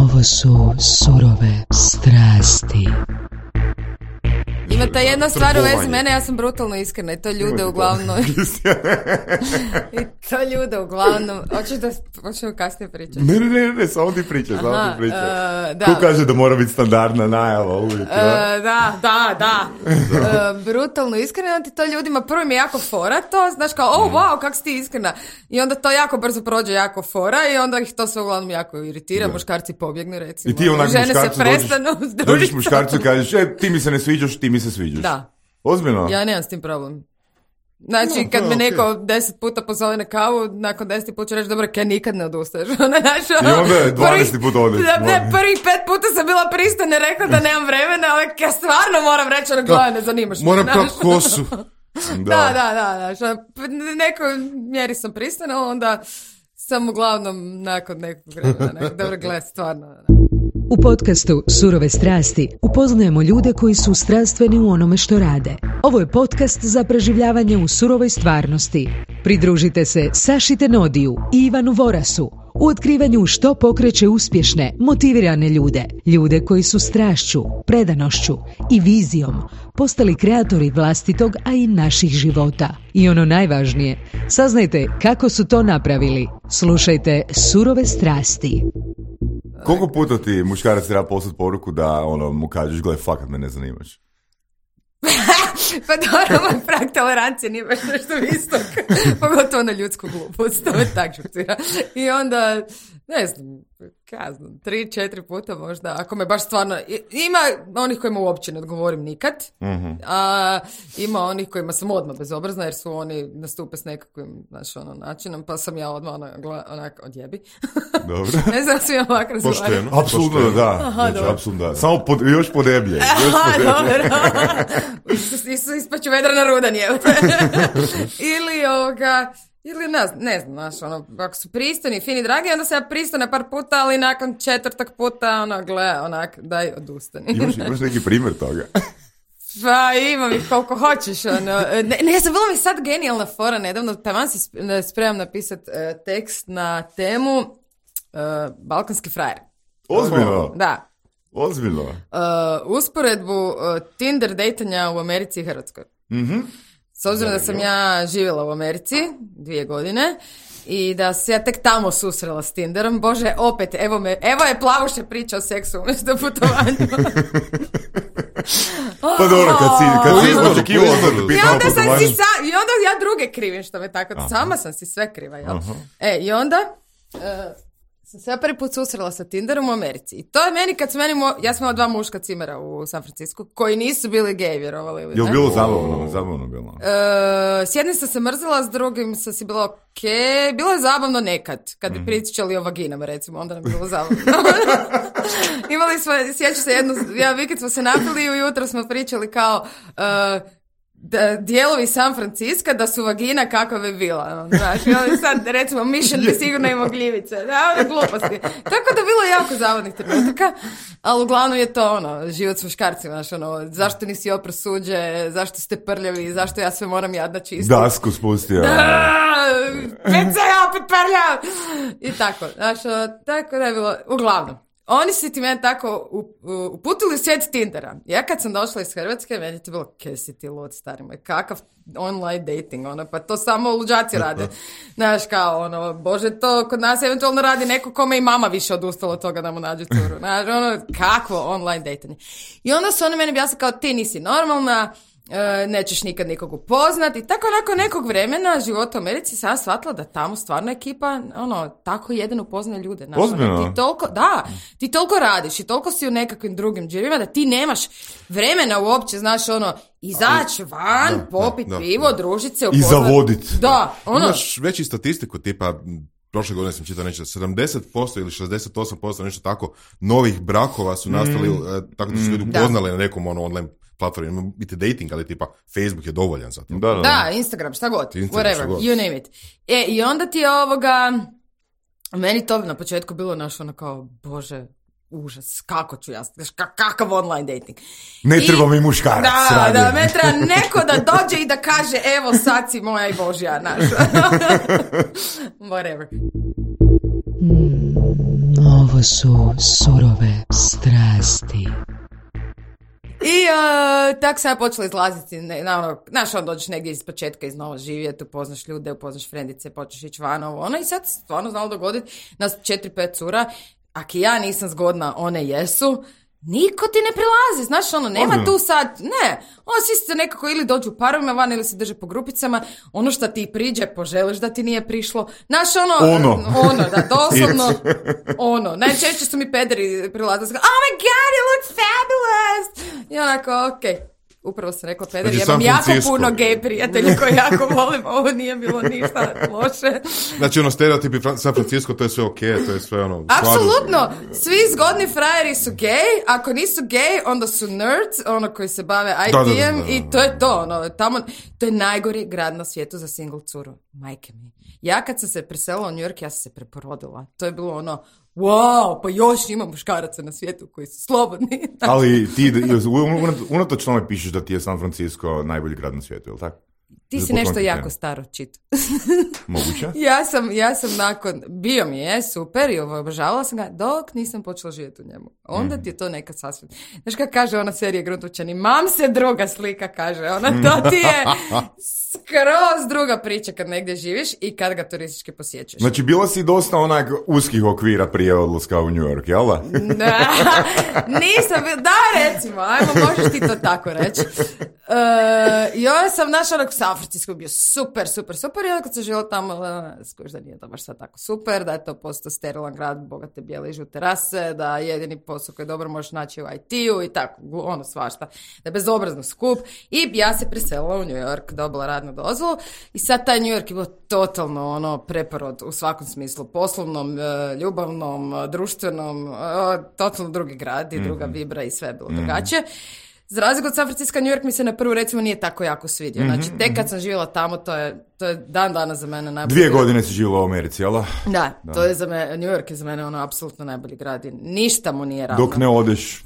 Ovo su surove strasti. Ima ta jedna stvar u vezi mene, ja sam brutalno iskrena i to ljude uglavnom... I to ljude uglavnom... Hoćemo kasnije pričati? Ne, samo ti pričaj, Ko kaže da mora biti standardna najava uvijek? Da. Brutalno iskrena, ti to ljudima prvo mi je jako fora to, znaš kao, wow, kak si ti iskrena. I onda to jako brzo prođe jako fora i onda ih to sve uglavnom jako iritira, muškarci pobjegnu recimo. I ti onak žene muškarcu se prestanu dođeš muškarcu i kažeš, ti mi se ne sviđaš, ti mi se sviđaš. Da. Ozbiljno? Ja nemam s tim problem. Znači, kad me neko 10 puta pozove na kavu, nakon 10 puta ću reći, dobro, kaj nikad ne odustaješ. I onda je 12 puta odeš. Ne, prvih 5 puta sam bila pristojna, rekla da nemam vremena, ali ja stvarno moram reći, gledaj, ne zanimaš me. Moram kao kosu. Da. Nekoj mjeri sam pristojna, onda sam uglavnom nakon nekog vremena. Dobro, gledaj, stvarno. U podcastu Surove strasti upoznajemo ljude koji su strastveni u onome što rade. Ovo je podcast za preživljavanje u surovoj stvarnosti. Pridružite se Saši Tenodiju i Ivanu Vorasu u otkrivanju što pokreće uspješne, motivirane ljude. Ljude koji su strašću, predanošću i vizijom postali kreatori vlastitog, a i naših života. I ono najvažnije, saznajte kako su to napravili. Slušajte Surove strasti. Koliko puta ti muškarac treba poslati poruku da mu kažeš, gledaj, fakat me ne zanimaš? Pa dobro, moj prag tolerancije nije baš nešto visok. Pogotovo na ljudsku glupost, to me tak šokira. I onda, ne znam, 3-4 puta možda, ako me baš stvarno... Ima onih kojima uopće ne odgovorim nikad, a ima onih kojima sam odmah bezobrazna, jer su oni nastupe s nekakvim, načinom, pa sam ja odmah onak odjebi. Dobro. Ne znam, svi ovak razgovarati. Pošteno. Apsolutno da. Apsolutno da. Samo još podeblje. Dobro. Ispaću vedra na rudan, je. Ili ne znam, ako su pristojni, fini, dragi, onda se ja pristane par puta, ali nakon 4. puta, daj, odustani. Imaš neki primjer toga? Pa imam ih koliko hoćeš, Ne, sam bila mi sad genijalna fora, nedavno, taman si spremam napisati tekst na temu Balkanski frajer. Ozbiljno? Da. Ozbiljno? Usporedbu Tinder dejtanja u Americi i Hrvatskoj. S obzirom da sam ja živjela u Americi 2 godine i da se ja tek tamo susrela s Tinderom, bože, opet, evo je Plavuše priča o seksu umjesto putovanju. Pa dobro, kad si očekivao I onda ja druge krivim što me tako, sama sam si sve kriva, jel? I onda... sam se ja prvi put susrela sa Tinderom u Americi. I to je meni, ja sam imala 2 muška cimera u San Francisco, koji nisu bili gej, vjerovali ili ne. Je li bilo zabavno bilo? S jednim sam se mrzila, s drugim sam si bila okej. Bilo je zabavno nekad, kad bi pričali o vaginama, recimo, onda nam je bilo zabavno. Imali smo, sjećam se jedan vikend smo se napili i ujutro smo pričali kao... dijelovi San Francisco da su vagina kakva bi bila. Znaš, i sad recimo Mission bi sigurno imao gljivice. Gluposti. Tako da bilo jako zavodnih trenutaka, ali uglavnom je to život s muškarcima. Zašto nisi opro suđe, zašto ste prljavi, zašto ja sve moram jadna čistiti. Dasku spustio. Već se ja opet prljav. I tako. Znaš, tako da je bilo. Uglavnom. Oni su ti mene tako uputili u svijet Tindera. Ja kad sam došla iz Hrvatske, meni je to bilo, kaj si ti lud, stari moj, kakav online dating, pa to samo luđaci rade. Znaš, kao, bože, to kod nas eventualno radi neko kome i mama više odustala od toga da mu nađe curu. Znaš, kakvo online dating. I onda su oni meni objasnili kao, ti nisi normalna, nećeš nikad nikog upoznat i tako nakon nekog vremena života u Americi sam shvatila da tamo stvarno ekipa tako jedan upoznaje ljude. Ozbiljno? Ti toliko radiš i toliko si u nekakvim drugim džirima da ti nemaš vremena uopće, znaš, izaći van, popit pivo, družit se, upoznat. I zavodit. Da, Imaš veći statistiku, tipa prošle godine sam čitao nešto, 70% ili 68% nešto tako novih brakova su nastali tako da su ljudi upoznali na nekom online platformi, biti dating, ali tipa Facebook je dovoljan za to. Da, Instagram, šta god, whatever, you name it. I onda ti je meni to na početku bilo kao, bože, užas, kako ću ja, kakav online dating. Ne treba mi muškarac. Da, me treba neko da dođe i da kaže, evo sad si moja i Božja, naša. Whatever. Ovo su surove strasti. I tako sam ja počela izlaziti, znaš, dođeš negdje iz početka iznova živjeti, upoznaš ljude, upoznaš frendice, počneš ići van, i sad stvarno znalo dogoditi, nas 4-5 cura, ako ja nisam zgodna, one jesu, niko ti ne prilazi, znaš, nema tu sad, ne, svi se nekako ili dođu u parovima van ili se drže po grupicama, ono što ti priđe, poželiš da ti nije prišlo, znaš, da, doslovno, najčešće su mi pederi prilazili, oh my god, you look fabulous, i onako, okej. Upravo sam rekla peder, znači, imam jako puno gej prijatelji koji jako volim, ovo nije bilo ništa loše. Znači stereotipi San Francisco, to je sve okej, to je sve apsolutno, svi zgodni frajeri su gej, ako nisu gej, onda su nerds, koji se bave IT-em i to je to, tamo, to je najgori grad na svijetu za single curu, majke mi. Ja kad sam se preselila u New York, ja sam se preporodila, to je bilo wow, pa još ima muškaraca na svijetu koji su slobodni. Ali ti unatoč tome pišeš da ti je San Francisco najbolji grad na svijetu, je li tako? Ti si nešto jako staro čitao. Moguće? Ja sam nakon, bio mi je super i obožavala sam ga dok nisam počela živjeti u njemu. Onda ti je to nekad sasvim. Znaš kako kaže ona serija Gruntovčani, mam se druga slika, kaže ona, to ti je skroz druga priča kad negdje živiš i kad ga turistički posjećaš. Znači bila si dosta onak uskih okvira prije odlaska u New York, jel da? Nisam, da recimo, ajmo, možeš ti to tako reći. Ja sam našla San Francisco bio super i onda kad sam živjela tamo, skuš da nije to baš sad tako super, da je to postao sterilan grad, bogate bijele i žute rase, da jedini posao koji dobro možeš naći u IT-u i tako, svašta, da je bezobrazno skup i ja se preselila u New York, dobila radnu dozvolu i sad taj New York je bilo totalno preporod u svakom smislu, poslovnom, ljubavnom, društvenom, totalno drugi grad i druga vibra i sve je bilo drugačije. Za razliku od San Francisco, New York mi se na prvu recimo nije tako jako svidio. Znači, tek kad sam živjela tamo, to je dan dana za mene najbolji 2 godine si živjela u Americi, jel? Da, to je za mene, New York je za mene apsolutno najbolji grad i ništa mu nije ravno. Dok ne odeš,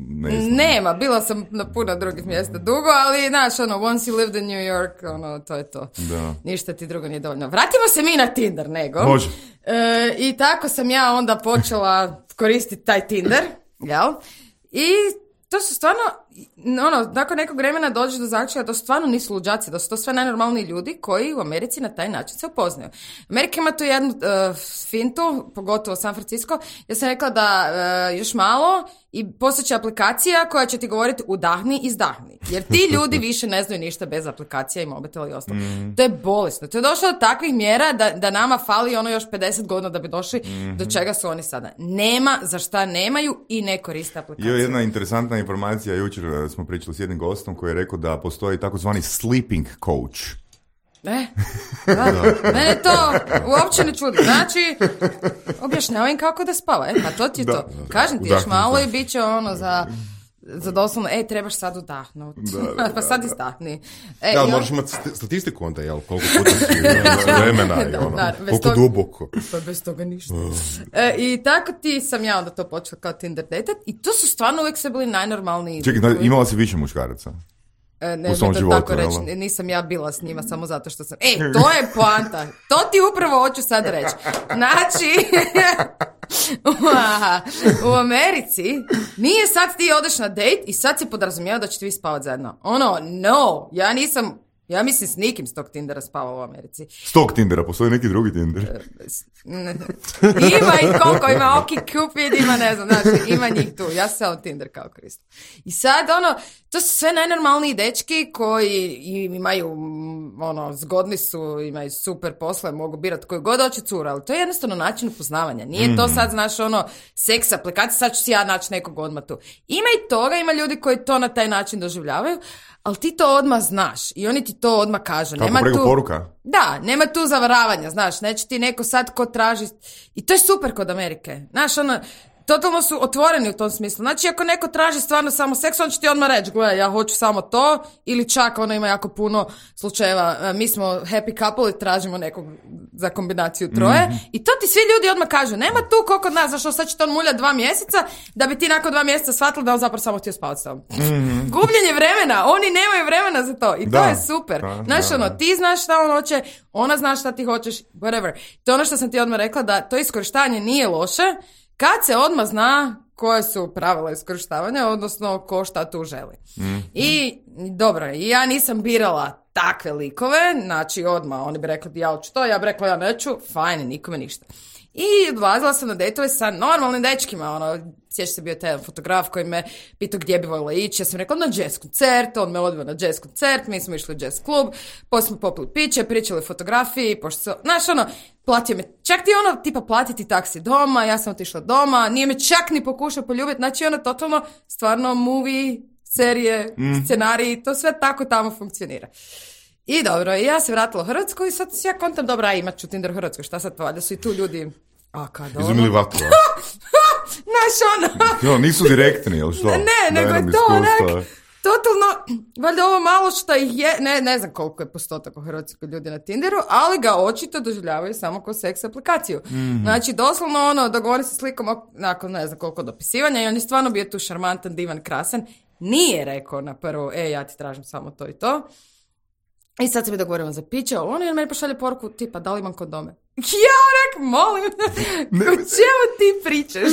ne znam. Nema, bila sam na puno drugih mjesta dugo, ali znaš, once you lived in New York, to je to. Da. Ništa ti drugo nije dovoljno. Vratimo se mi na Tinder, nego. Može. I tako sam ja onda počela koristiti taj Tinder, jel? I to su stvarno, nakon nekog vremena dođeš do zaključka da stvarno nisu luđaci, da su to sve najnormalniji ljudi koji u Americi na taj način se upoznaju. Amerika ima tu jednu fintu, pogotovo San Francisco, ja sam rekla da još malo i postojeća aplikacija koja će ti govoriti udahni, izdahni. Jer ti ljudi više ne znaju ništa bez aplikacija i mobitela i ostalo. To je bolesno. To je došlo do takvih mjera da nama fali još 50 godina da bi došli do čega su oni sada. Nema za šta nemaju i ne koriste aplikaciju. Jedna interesantna informacija, jučer smo pričali s jednim gostom koji je rekao da postoji takozvani sleeping coach. Mene to uopće ne čudi. Znači, objašnjavam kako da spava. Pa to ti je to. Kažem ti još malo i bit će za doslovno, trebaš sad udahnuti. Pa sad izdahni. Moraš imati statistiku onda, jel? Koliko puta si vremena, koliko duboko. Pa bez toga ništa. I tako sam ja onda to počela kao Tinder datat i to su stvarno uvijek sve bili najnormalniji. Čekaj, imala si više muškaraca? Ne to životu, tako reći, nisam ja bila s njima samo zato što sam... to je poanta. To ti upravo hoću sad reći. Znači, u Americi nije sad ti odeš na date i sad si podrazumijeva da ćete vi spavati zajedno. Ja nisam... Ja mislim s nikim s tog Tindera spavala u Americi. S tog Tindera? Postoji neki drugi Tinder? Ima ih koliko, ima OkCupid, ima ne znam, znači, ima njih tu. Ja sam samo Tinder kao koristim. I sad, to su sve najnormalniji dečki koji imaju, zgodni su, imaju super posle, mogu birati koju god hoće cura, ali to je jednostavno način upoznavanja. Nije to sad, znaš, seks aplikacija, sad ću si ja naći nekog odmah tu. Ima i toga, ima ljudi koji to na taj način doživljavaju, ali ti to odmah znaš i oni ti to odmah kažu. Kako preko poruka? Da, nema tu zavaravanja, znaš, neće ti neko sad ko traži i to je super kod Amerike. Znaš, totalno su otvoreni u tom smislu. Znači, ako neko traži stvarno samo seks, on će ti odmah reći, gledaj, ja hoću samo to, ili čak ono ima jako puno slučajeva, mi smo happy couple i tražimo nekog za kombinaciju troje, i to ti svi ljudi odmah kažu, nema tu koliko od nas, zašto sad će to mulja 2 mjeseca, da bi ti nakon 2 mjeseca shvatili da on zapravo samo htio spavati s tobom. Gubljenje vremena, oni nemaju vremena za to, i to je super. Znaš, ono, ti znaš šta on hoće, ona zna šta ti hoćeš, whatever. To je ono što sam ti odmah rekla, da to iskorištavanje nije loše, kad se odmah zna koje su pravila iskorištavanja, odnosno ko šta tu želi. I dobro, ja nisam birala takve likove, znači odmah oni bi rekli ja hoću to, ja bi rekla ja neću, fajn, nikome ništa. I odlazila sam na dejtove sa normalnim dečkima, ono, sjeća se bio taj fotograf koji me pitao gdje bi voljela ići, ja sam rekla na jazz koncert, on me odveo na jazz koncert, mi smo išli u jazz klub, poslije smo popili piće, pričali o fotografiji, pošto se, znaš, ono, platio me, čak ti ono, tipa platiti taksi doma, ja sam otišla doma, nije me čak ni pokušao poljubiti, znači ono, totalno, stvarno, movie, serije, scenariji, to sve tako tamo funkcionira. I dobro, i ja se vratila u Hrvatsku i sad ja kontam, dobra, imat ću Tinder u Hrvatskoj, šta sad valjda su i tu ljudi, kad ono... Izumili vatru, Znaš, ono... Jo, nisu direktni, ili što? Ne, nego je to onak, totalno, valjda ovo malo što je, ne znam koliko je postotak u Hrvatskoj ljudi na Tinderu, ali ga očito doživljavaju samo kao seks aplikaciju. Znači, doslovno ono, dogovori se slikom nakon ne znam koliko dopisivanja i on je stvarno bio tu šarmantan, divan, krasan, nije rekao na prvo, ja ti tražim samo to i to. I sad se mi dogovorimo za piće, on je meni pošalje poruku tipa, da li imam kondome? Ja molim, o čemu ti pričaš?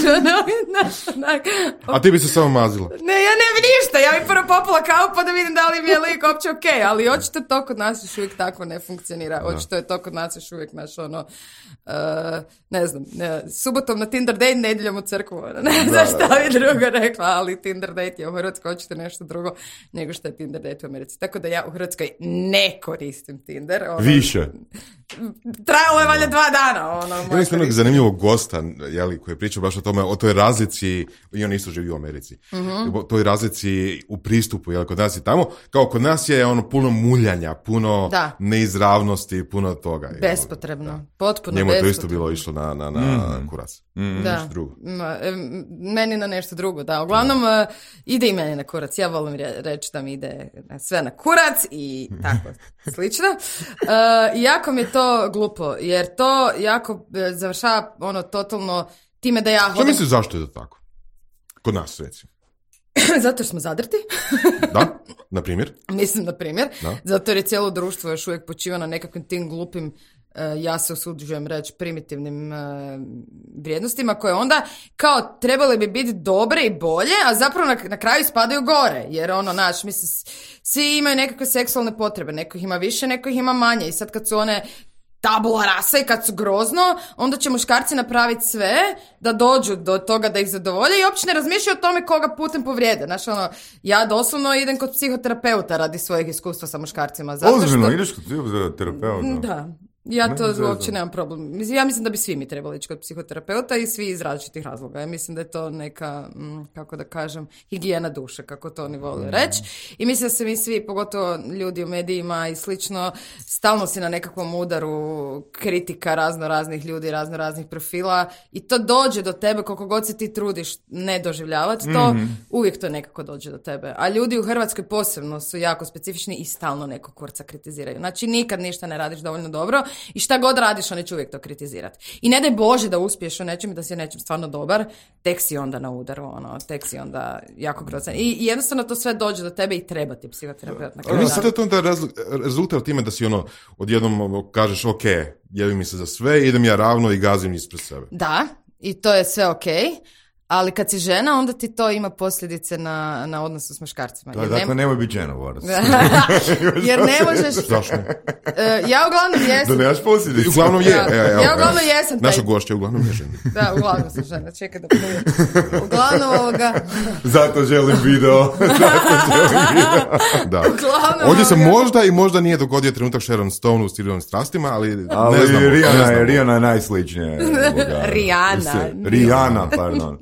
A ti bi se samo mazila. Ne, ja ne bi ništa, ja bi prvo popala kavu pa da vidim da li mi je lik uopće okej, ali očito to kod nas još uvijek tako ne funkcionira, očito je to kod nas još uvijek naš ono, ne znam, subotom na Tinder date, nedjeljom u crkvu, ne znam šta bi drugo rekla, ali Tinder date je u Hrvatskoj očito nešto drugo nego što je Tinder date u Americi, tako da ja u Hrvatskoj ne koristim Tinder. Ono, više. Trajalo je valjda 2 dana. Ono, ja mislim jednog zanimljivog gosta, jeli, koji je pričao baš o tome, o toj razlici, i on isto živi u Americi, o toj razlici u pristupu, jel, kod nas i tamo, kao kod nas je ono puno muljanja, puno neizravnosti, puno toga. Bespotrebno, potpuno njemu bespotrebno. Njemu to isto bilo išlo na kurac. Da. Drugo. Meni na nešto drugo, da. Uglavnom, ide i meni na kurac. Ja volim reći da mi ide sve na kurac i tako slično. Jako mi je to glupo, jer to jako završava ono totalno time da ja hodam... Što misliš zašto je to tako? Kod nas, recimo. Zato što smo zadrti. Da, na primjer. Mislim, na primjer. Zato jer je cijelo društvo još uvijek počiva na nekakvim tim glupim, ja se usuđujem reći, primitivnim vrijednostima koje onda kao trebale bi biti dobre i bolje, a zapravo na kraju spadaju gore. Jer ono, naš, mislim, svi imaju nekakve seksualne potrebe. Neko ih ima više, neko ih ima manje. I sad kad su one tabula rasa i kad su grozno, onda će muškarci napraviti sve da dođu do toga da ih zadovolje i uopće ne razmišljaju o tome koga putem povrijede. Znaš, ono, ja doslovno idem kod psihoterapeuta radi svojeg iskustva sa muškarcima. Ozbiljno, ideš kod psihoterapeuta? Da. Ja to uopće nemam problem. Ja mislim da bi svi mi trebali ići kod psihoterapeuta i svi iz različitih razloga. Ja mislim da je to neka, kako da kažem, higijena duše, kako to oni vole reći. I mislim da se mi svi, pogotovo ljudi u medijima i slično, stalno si na nekakvom udaru kritika raznih ljudi, raznih profila i to dođe do tebe koliko god se ti trudiš ne doživljavati to, uvijek to nekako dođe do tebe. A ljudi u Hrvatskoj posebno su jako specifični i stalno nekog kurca kritiziraju. Znači nikad ništa ne radiš dovoljno dobro i šta god radiš, oni će uvijek to kritizirati. I ne daj Bože da uspiješ u nečem i da si nečem stvarno dobar, tek si onda na udaru, ono, tek si onda jako grozan. I jednostavno to sve dođe do tebe i treba ti psihoterapeut na kraju. Mislim da to onda rezultat time da si ono, odjednom kažeš, ok, jevim mi se za sve, idem ja ravno i gazim ispred sebe. Da, i to je sve ok. Ali kad si žena, onda ti to ima posljedice na odnosu s muškarcima. Da, dakle, nemoj biti žena, Boris. Jer ne možeš... Zašto? Ja uglavnom jesam... Da nemaš posljedice. Uglavnom je. Ja uglavnom jesam. Naša gošća uglavnom je žena. Da, uglavnom sam žena. Čekaj da pluje. Uglavnom ovoga... Zato želim video. Da. Ovdje se možda i možda nije dogodio trenutak Sharon Stone u Stilivim strastima, ali ne znamo. Rihanna je najsličnija. Rihanna, Rihanna, pardon.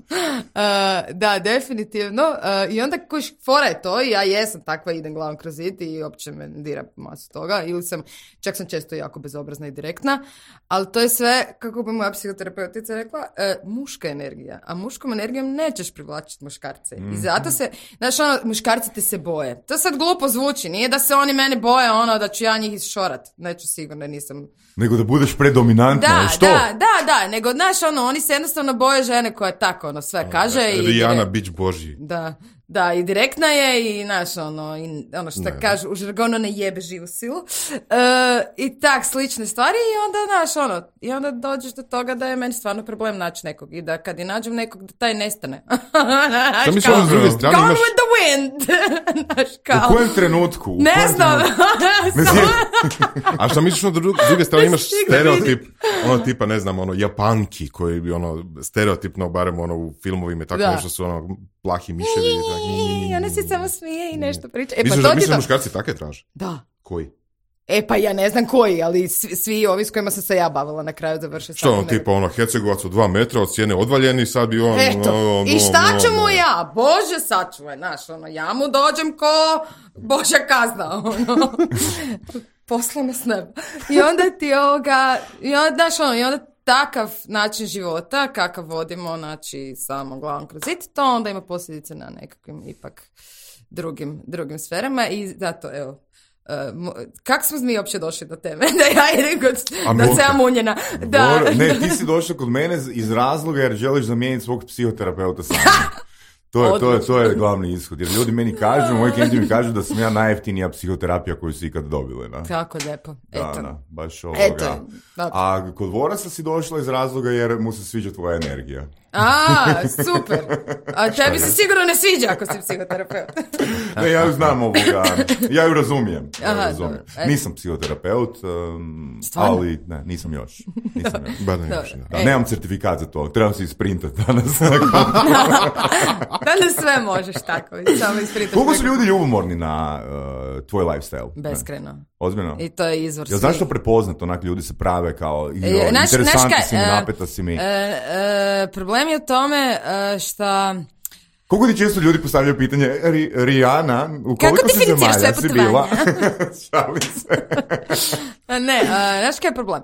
Da, definitivno. I onda fora je to, i ja jesam takva, idem glavom kroz zid i uopće me dira masu toga. Čak sam često jako bezobrazna i direktna, ali to je sve, kako bi moja psihoterapeutica rekla, muška energija. A muškom energijom nećeš privlačiti muškarce. I zato se, znaš, muškarci te se boje. To sad glupo zvuči, nije da se oni mene boje, da ću ja njih isšorat. Neću sigurno, nisam... Nego da budeš predominantna, što? Da, nego, znaš, oni se jednostavno boje žene koja tako, sve kaže. Rijana, bić Božji. Da, i direktna je i, znaš, i što kažu, u žargonu ne jebe živu silu. I tak, slične stvari i onda, znaš, i onda dođeš do toga da je meni stvarno problem naći nekog i da kad i nađem nekog, da taj nestane. Šta misliš, s druge strane gone imaš... with the wind! U kojem trenutku? Ne znam! A šta misliš, s druge strane imaš stereotip, tipa, ne znam, Japanki, koji bi, stereotipno, barem, u filmovima i tako nešto su, plahi miševi. Ona se samo smije i nešto priča. Misliš da muškarci take traže? Da. Koji? Pa ja ne znam koji, ali svi ovi s kojima sam se ja bavila na kraju završio. Što tipa Hercegovac od 2 metra od cijene odvaljeni, sad bi on... Eto, i šta ću mu ja? Bože sačuvaj, znaš, ja mu dođem ko Božja kazna, poslano s neba. I onda ti i onda takav način života, kakav vodimo, znači, samo glavom kroz zid, to onda ima posljedice na nekakvim ipak drugim sferama i zato, evo, kako smo mi uopće došli do teme? Da ja idem da se ja munjena. Ne, ti si došla kod mene iz razloga jer želiš zamijeniti svog psihoterapeuta sam. To je glavni ishod. Jer ljudi meni kažu, moji klijenti mi kažu da sam ja najjeftinija psihoterapija koju su ikad dobili. Da? Kako lijepo. Da, baš ovoga. A kod Vorasa si došla iz razloga jer mu se sviđa tvoja energija. Super. A tebi se sigurno ne sviđa ako si psihoterapeut. Ne, ja ju znam ovoga. Ja ju razumijem. Nisam psihoterapeut, ali ne, nisam još. Nemam certifikat za to. Trebam se isprintati danas. Danas sve možeš tako. Samo isprintati. Koliko su ljudi ljubomorni na tvoj lifestyle? Beskreno. Ozbiljno? I to je izvor. Jel zašto prepoznat onak ljudi se prave kao interesantni si mi, napeta si mi? Problem je u tome šta... Koliko ti često ljudi postavljaju pitanje, Rijana, u koliko si zemalja si bila? Šalim se. Ne, znaš kaj je problem?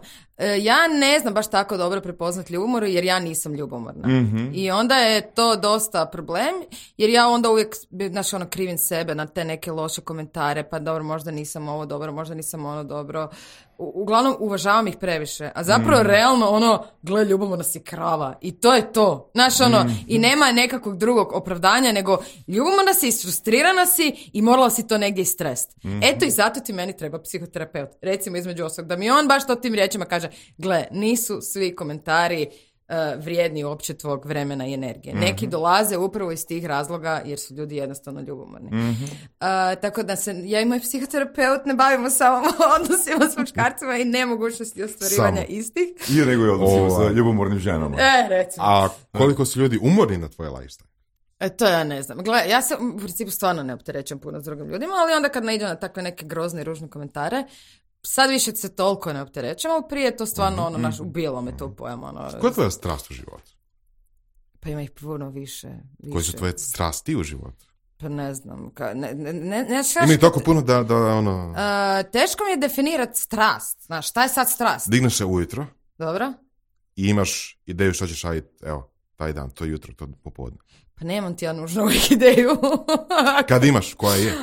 Ja ne znam baš tako dobro prepoznat ljubomoru jer ja nisam ljubomorna. Mm-hmm. I onda je to dosta problem jer ja onda uvijek, znaš, krivim sebe na te neke loše komentare, pa dobro, možda nisam ovo dobro, možda nisam ono dobro. Uglavnom, uvažavam ih previše. A zapravo, realno, gle, ljubomorna si krava. I to je to. Znaš, i nema nekakvog drugog opravdanja, nego ljubomorna si, isfrustrirana si i morala si to negdje istrest. Eto, i zato ti meni treba psihoterapeut. Recimo, između ostalog, da mi on baš to tim riječima kaže, gle, nisu svi komentari vrijedni uopće tvog vremena i energije. Neki dolaze upravo iz tih razloga jer su ljudi jednostavno ljubomorni. Tako da ja i moj psihoterapeut ne bavimo samo odnosima s muškarcima i nemogućnosti ostvarivanja istih. I nego je odnosima sa ljubomornim ženama. Recimo. A koliko su ljudi umorni na tvoje lifestyle? To ja ne znam. Gle, ja se u principu stvarno ne opterećujem puno s drugim ljudima, ali onda kad naiđem na takve neke grozne i ružne komentare, sad više se toliko ne opterećujem, ali prije to stvarno naš ubijalo me to pojam. Koja je tvoja strast u životu? Pa ima ih puno više. Koje su tvoje strasti u životu? Pa ne znam. Ima ih toliko puno da teško mi je definirati strast. Znaš, šta je sad strast? Digneš se ujutro. Dobro. I imaš ideju što ćeš raditi, evo, taj dan, to jutro, to popodne. Pa nemam ti ja nužno uvijek ideju. Kad imaš, koja je?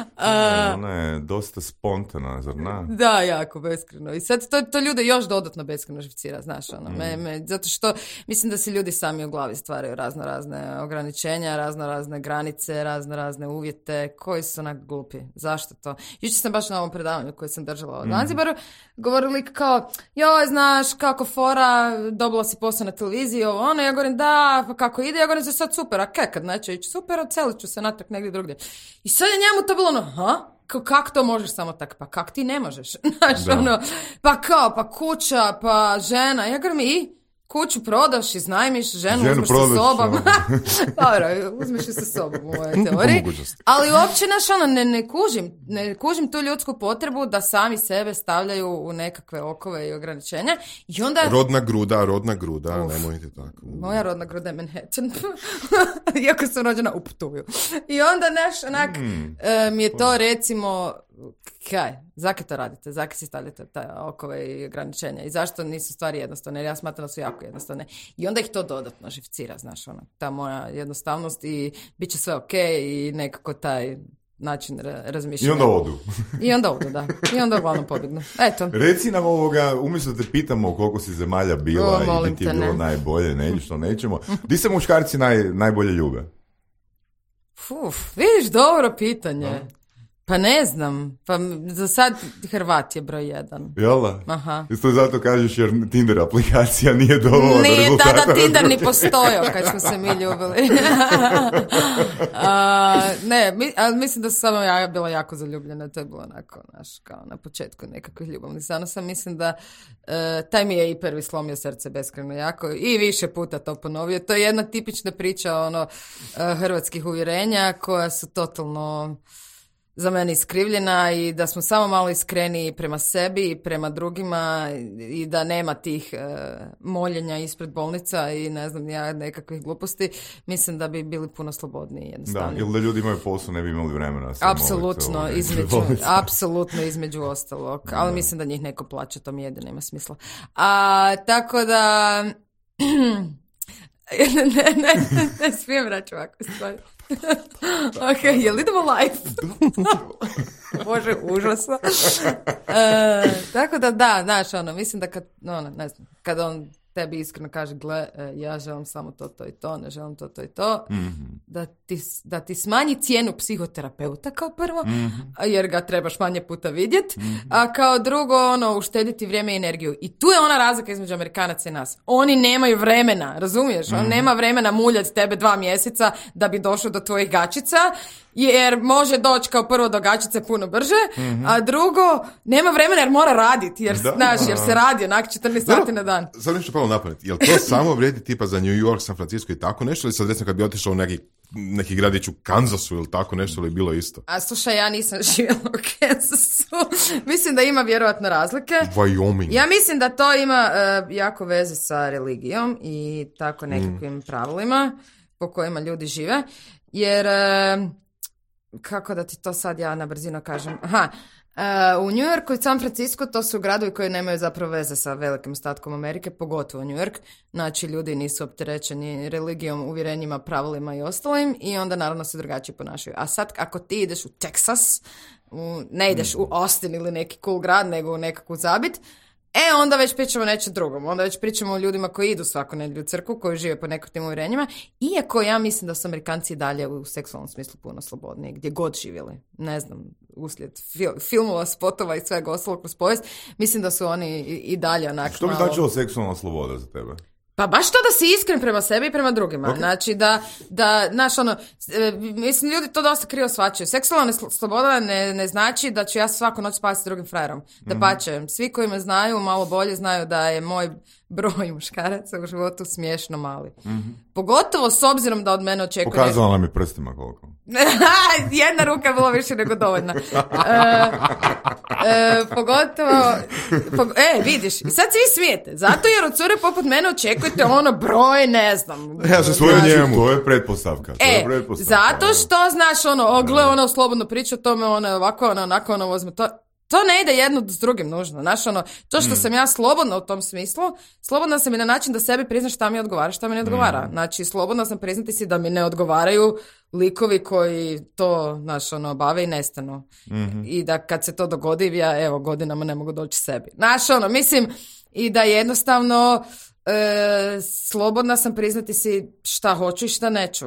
Ona je dosta spontana, zar ne? Da, jako beskreno. I sad to ljude još dodatno beskreno živcira, znaš, zato što mislim da si ljudi sami u glavi stvaraju razne ograničenja, razne granice, razne uvjete koji su onak glupi. Zašto to? Jučer sam baš na ovom predavanju koje sam držala od Zanzibaru govorili kao, joj, znaš, kako fora, dobila si posao na televiziji, ja govorim, da, pa kako ide, ja govorim, za sad super, a kad neće ići super, odselit ću se natrag negdje drugdje. I sad je njemu to bilo kako to možeš samo tako? Pa kak ti ne možeš? Znaš, pa kao, pa kuća, pa žena. Ja govorim, kuću prodaš, iznajmiš, ženu uzmeš sa sobom. Dobro, uzmeš ju sa sobom u ovoj teoriji. Ali uopće, ne kužim tu ljudsku potrebu da sami sebe stavljaju u nekakve okove i ograničenja. I onda... Rodna gruda, nemojte tako. Moja rodna gruda je Manhattan. Iako sam rođena u Ptuju. I onda mi je to recimo... Zakaj to radite? Zakaj si stavljate taj okove i ograničenja? I zašto nisu stvari jednostavne? Jer ja smatram da su jako jednostavne. I onda ih to dodatno živcira, znaš, ta moja jednostavnost i bit će sve okej i nekako taj način razmišljanja. I onda odu. I onda odu, da. I onda uglavnom pobjegnu. Eto. Reci nam umjesto da te pitamo koliko si zemalja bila i gdje ti je bilo najbolje, nećemo. Di se muškarci najbolje ljube? Vidiš, dobro pitanje. Pa ne znam, pa za sad Hrvat je broj 1. Jel' da? Aha. Isto zato kažeš jer Tinder aplikacija nije dovoljna Nije rezultata. Tada Tinder ni postojao kad smo se mi ljubili. Ali mislim da sam samo ja bila jako zaljubljena, to je bilo onako, kao na početku nekakvih ljubavnih zanosa. Mislim da taj mi je i prvi slomio srce beskrajno jako i više puta to ponovio. To je jedna tipična priča hrvatskih uvjerenja koja su totalno za mene iskrivljena i da smo samo malo iskreniji prema sebi i prema drugima i da nema tih moljenja ispred bolnica i ne znam ja nekakvih gluposti, mislim da bi bili puno slobodniji jednostavno. Da, ili da ljudi imaju posao, ne bi imali vremena. Apsolutno između ostalog, ali mislim da njih neko plaća, to mi jedino ima smisla. Tako da ne smijem reći ovako stvari. Ok, jel idemo live? Bože, užasno. Tako da, znaš, mislim da kad on tebi iskreno kaže, gle, ja želim samo to i to, ne želim to i to, da ti smanji cijenu psihoterapeuta kao prvo, jer ga trebaš manje puta vidjeti, a kao drugo, uštediti vrijeme i energiju. I tu je ona razlika između Amerikanaca i nas. Oni nemaju vremena, razumiješ? On nema vremena muljati tebe 2 mjeseca da bi došao do tvojih gačica, jer može doći kao prvo do gačice puno brže, a drugo, nema vremena jer mora raditi, jer se radi onak 14 sati na dan. Sad nešto palo na pamet. Jel to samo vrijedi tipa za New York, San Francisco i tako nešto, ili sad recimo kad bi otišao u neki gradić u Kansasu ili tako nešto, ili bilo isto? A slušaj, ja nisam živjela u Kansasu. Mislim da ima vjerojatno razlike. Wyoming. Ja mislim da to ima jako veze sa religijom i tako nekakvim pravilima po kojima ljudi žive. Jer, kako da ti to sad ja na brzino kažem? U New Yorku i San Francisco to su gradovi koji nemaju zapravo veze sa velikim ostatkom Amerike, pogotovo New York. Znači, ljudi nisu opterećeni religijom, uvjerenjima, pravilima i ostalim i onda naravno se drugačije ponašaju. A sad, ako ti ideš u Texas, ne ideš u Austin ili neki cool grad, nego u nekakvu zabit, onda već pričamo o nečem drugom. Onda već pričamo o ljudima koji idu svaku nedjelju u crkvu, koji žive po nekakvim uvjerenjima. Iako ja mislim da su Amerikanci dalje u seksualnom smislu puno slobodniji, gdje god živjeli. Ne znam, uslijed filmova, spotova i svega ostalog kroz povijest. Mislim da su oni i dalje onako Što bi značilo seksualna sloboda za tebe? Pa baš to da si iskren prema sebi i prema drugima. Okay. Znači znaš, mislim, ljudi to dosta krivo shvaćaju. Seksualna sloboda ne znači da ću ja svaku noć spavati s drugim frajerom. Dapače, svi koji me znaju, malo bolje znaju da je moj broj muškaraca u životu smiješno mali. Pogotovo s obzirom da od mene očekuje... Pokazala nam je prstima koliko. Jedna ruka je bilo više nego dovoljna. Pogotovo... vidiš, i sad se vi smijete. Zato jer od cure poput mene očekujete broj, ne znam. Ja se svoju njemu. To je pretpostavka. Zato što, znaš, gle, slobodno priča o tome, ovako, onako, vozme to. To ne ide jedno s drugim nužno. Znaš, to što sam ja slobodna u tom smislu, slobodna sam i na način da sebi priznaš šta mi odgovara, šta mi ne odgovara. Znači, slobodna sam priznati si da mi ne odgovaraju likovi koji to, znaš, bave i nestanu. I da kad se to dogodi, ja, godinama ne mogu doći sebi. Znaš, mislim, i da jednostavno... slobodna sam priznati si šta hoću i šta neću.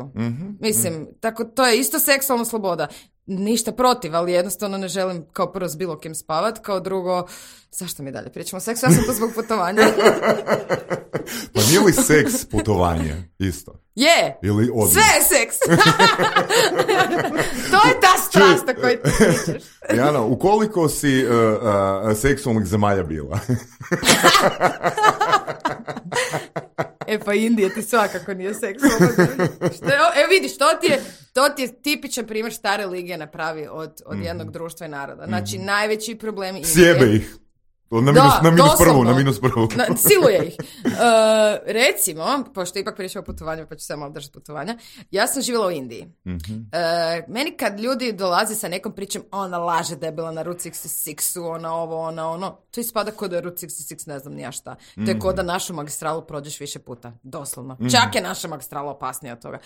Mislim, tako, to je isto seksualna sloboda. Ništa protiv, ali jednostavno ne želim kao prvo s bilo kim spavat, kao drugo, zašto mi dalje pričamo o seksu? Ja sam to zbog putovanja. Pa nije li seks putovanje isto? Je, ili sve je seks. To je ta strast o kojoj ti pričaš. Jana, u koliko si seksualnih zemalja bila? Pa Indija ti svakako nije seksualna zemlja. Vidiš, to ti je tipičan primjer šta religija napravi od jednog društva i naroda. Znači, najveći problem Indije... Sjebe ih. Na minus prvu. Siluje ih. Recimo, pošto ipak pričamo o putovanju, pa ću samo držati putovanja, ja sam živjela u Indiji. Meni kad ljudi dolaze sa nekom pričom, ona laže da je bila na Route 66-u, ona ono, to ispada kod da je Route 66, ne znam ni ja šta. To je kod da našu magistralu prođeš više puta, doslovno. Čak je naša magistrala opasnija od toga.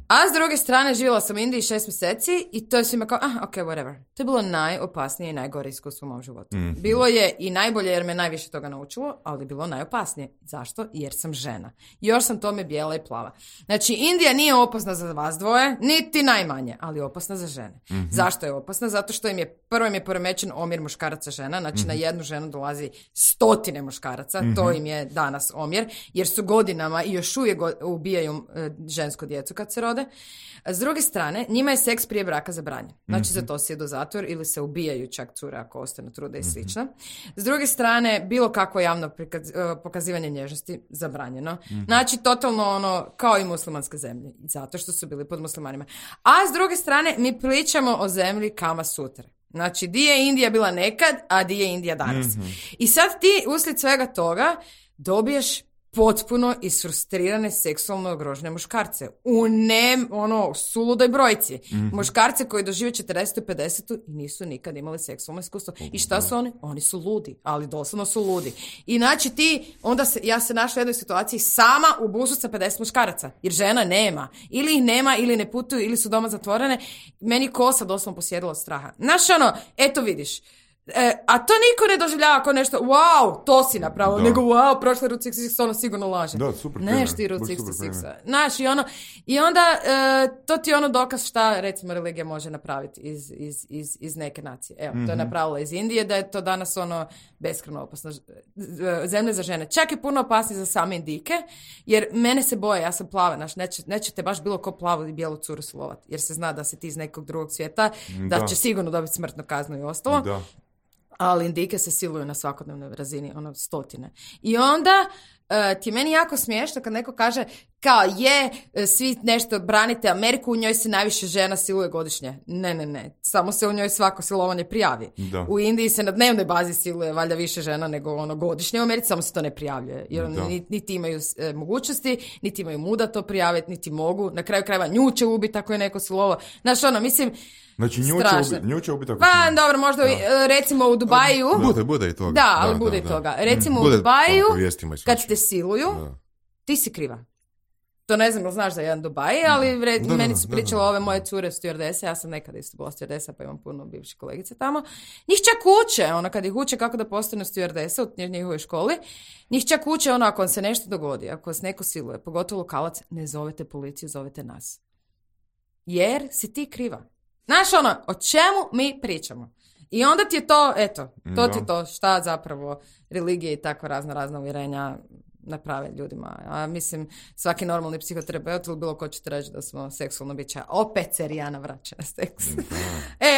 A s druge strane, živjela sam u Indiji 6 mjeseci i to je svima kao, whatever. To je bilo najopasnije i najgore iskustvo u mom životu. Bilo je i najbolje jer me najviše toga naučilo, ali bilo najopasnije. Zašto? Jer sam žena. Još sam tome bijela i plava. Znači, Indija nije opasna za vas dvoje, niti najmanje, ali je opasna za žene. Zašto je opasna? Zato što im je poremećen omjer muškaraca žena, znači na jednu ženu dolazi 100 muškaraca, to im je danas omjer, jer su godinama i još uvijek ubijaju žensku djecu kad se rode. S druge strane, njima je seks prije braka zabranjen. Znači, za to se idu u zatvor ili se ubijaju čak cure ako ostanu trude i slično. S druge strane, bilo kakvo javno pokazivanje nježnosti zabranjeno. Znači, totalno kao i muslimanske zemlje. Zato što su bili pod muslimanima. A s druge strane, mi pričamo o zemlji Kama Sutre. Znači, di je Indija bila nekad, a di je Indija danas. I sad ti, uslijed svega toga, dobiješ potpuno isfrustrirane seksualno ugrožene muškarce. U suludoj brojci. Muškarce koji dožive 40. 50. i nisu nikad imali seksualno iskustvo. I šta su oni? Oni su ludi, ali doslovno su ludi. I znači ja se našla u jednoj situaciji sama u busu sa 50 muškaraca. Jer žena nema. Ili ih nema, ili ne putuju, ili su doma zatvorene. Meni kosa doslovno posjedila od straha. Znaš eto vidiš. A to niko ne doživljava kao nešto, wow, to si napravio, nego wow, prošle Route 66, ono sigurno laže. Da, super. Neš ti Route 66. Znaš, i onda to ti je dokaz šta, recimo, religija može napraviti iz neke nacije. Evo, to je napravila iz Indije, da je to danas beskrajno opasno. Zemlje za žene. Čak je puno opasnije za same Indike, jer mene se boje, ja sam plava, znaš, neće te baš bilo ko plavu i bijelu curu silovati, jer se zna da si ti iz nekog drugog svijeta, da će sigurno dobiti smrtnu kaznu i ostalo. Da. Ali Indike se siluju na svakodnevnoj razini, 100. I onda ti je meni jako smiješno kad neko kaže kao svi nešto branite Ameriku, u njoj se najviše žena siluje godišnje. Ne. Samo se u njoj svako silovanje prijavi. Da. U Indiji se na dnevnoj bazi siluje valjda više žena nego godišnje u Americi, samo se to ne prijavljuje. Jer niti imaju mogućnosti, niti imaju muda to prijaviti, niti mogu. Na kraju krajeva nju će ubiti ako je neko silovao. Znaš, mislim... Znači nju će ubiti ako... Pa dobro, možda recimo u Dubaju... Bude i toga. Da, ali bude i toga. Recimo u Dubaju, kad te siluju, ti si kriva. To ne znam, znaš za jedan Dubaj, ali meni su pričale ove moje cure stewardese, ja sam nekada isto bila stewardesa, pa imam puno bivših kolegice tamo. Njih čak uče, kad ih uče kako da postanu stewardesa u njihovoj školi, njih čak uče ako se nešto dogodi, ako vas neko siluje, pogotovo lokalac, ne zovete policiju, zovete nas. Jer si ti kriva. Znaš o čemu mi pričamo? I onda ti je to, ti je to šta zapravo religije i tako razna uvjerenja naprave ljudima. A mislim, svaki normalni psihoterapeut ili bilo ko će ti reći da smo seksualno bića. Opet se Rijana vraća na seks.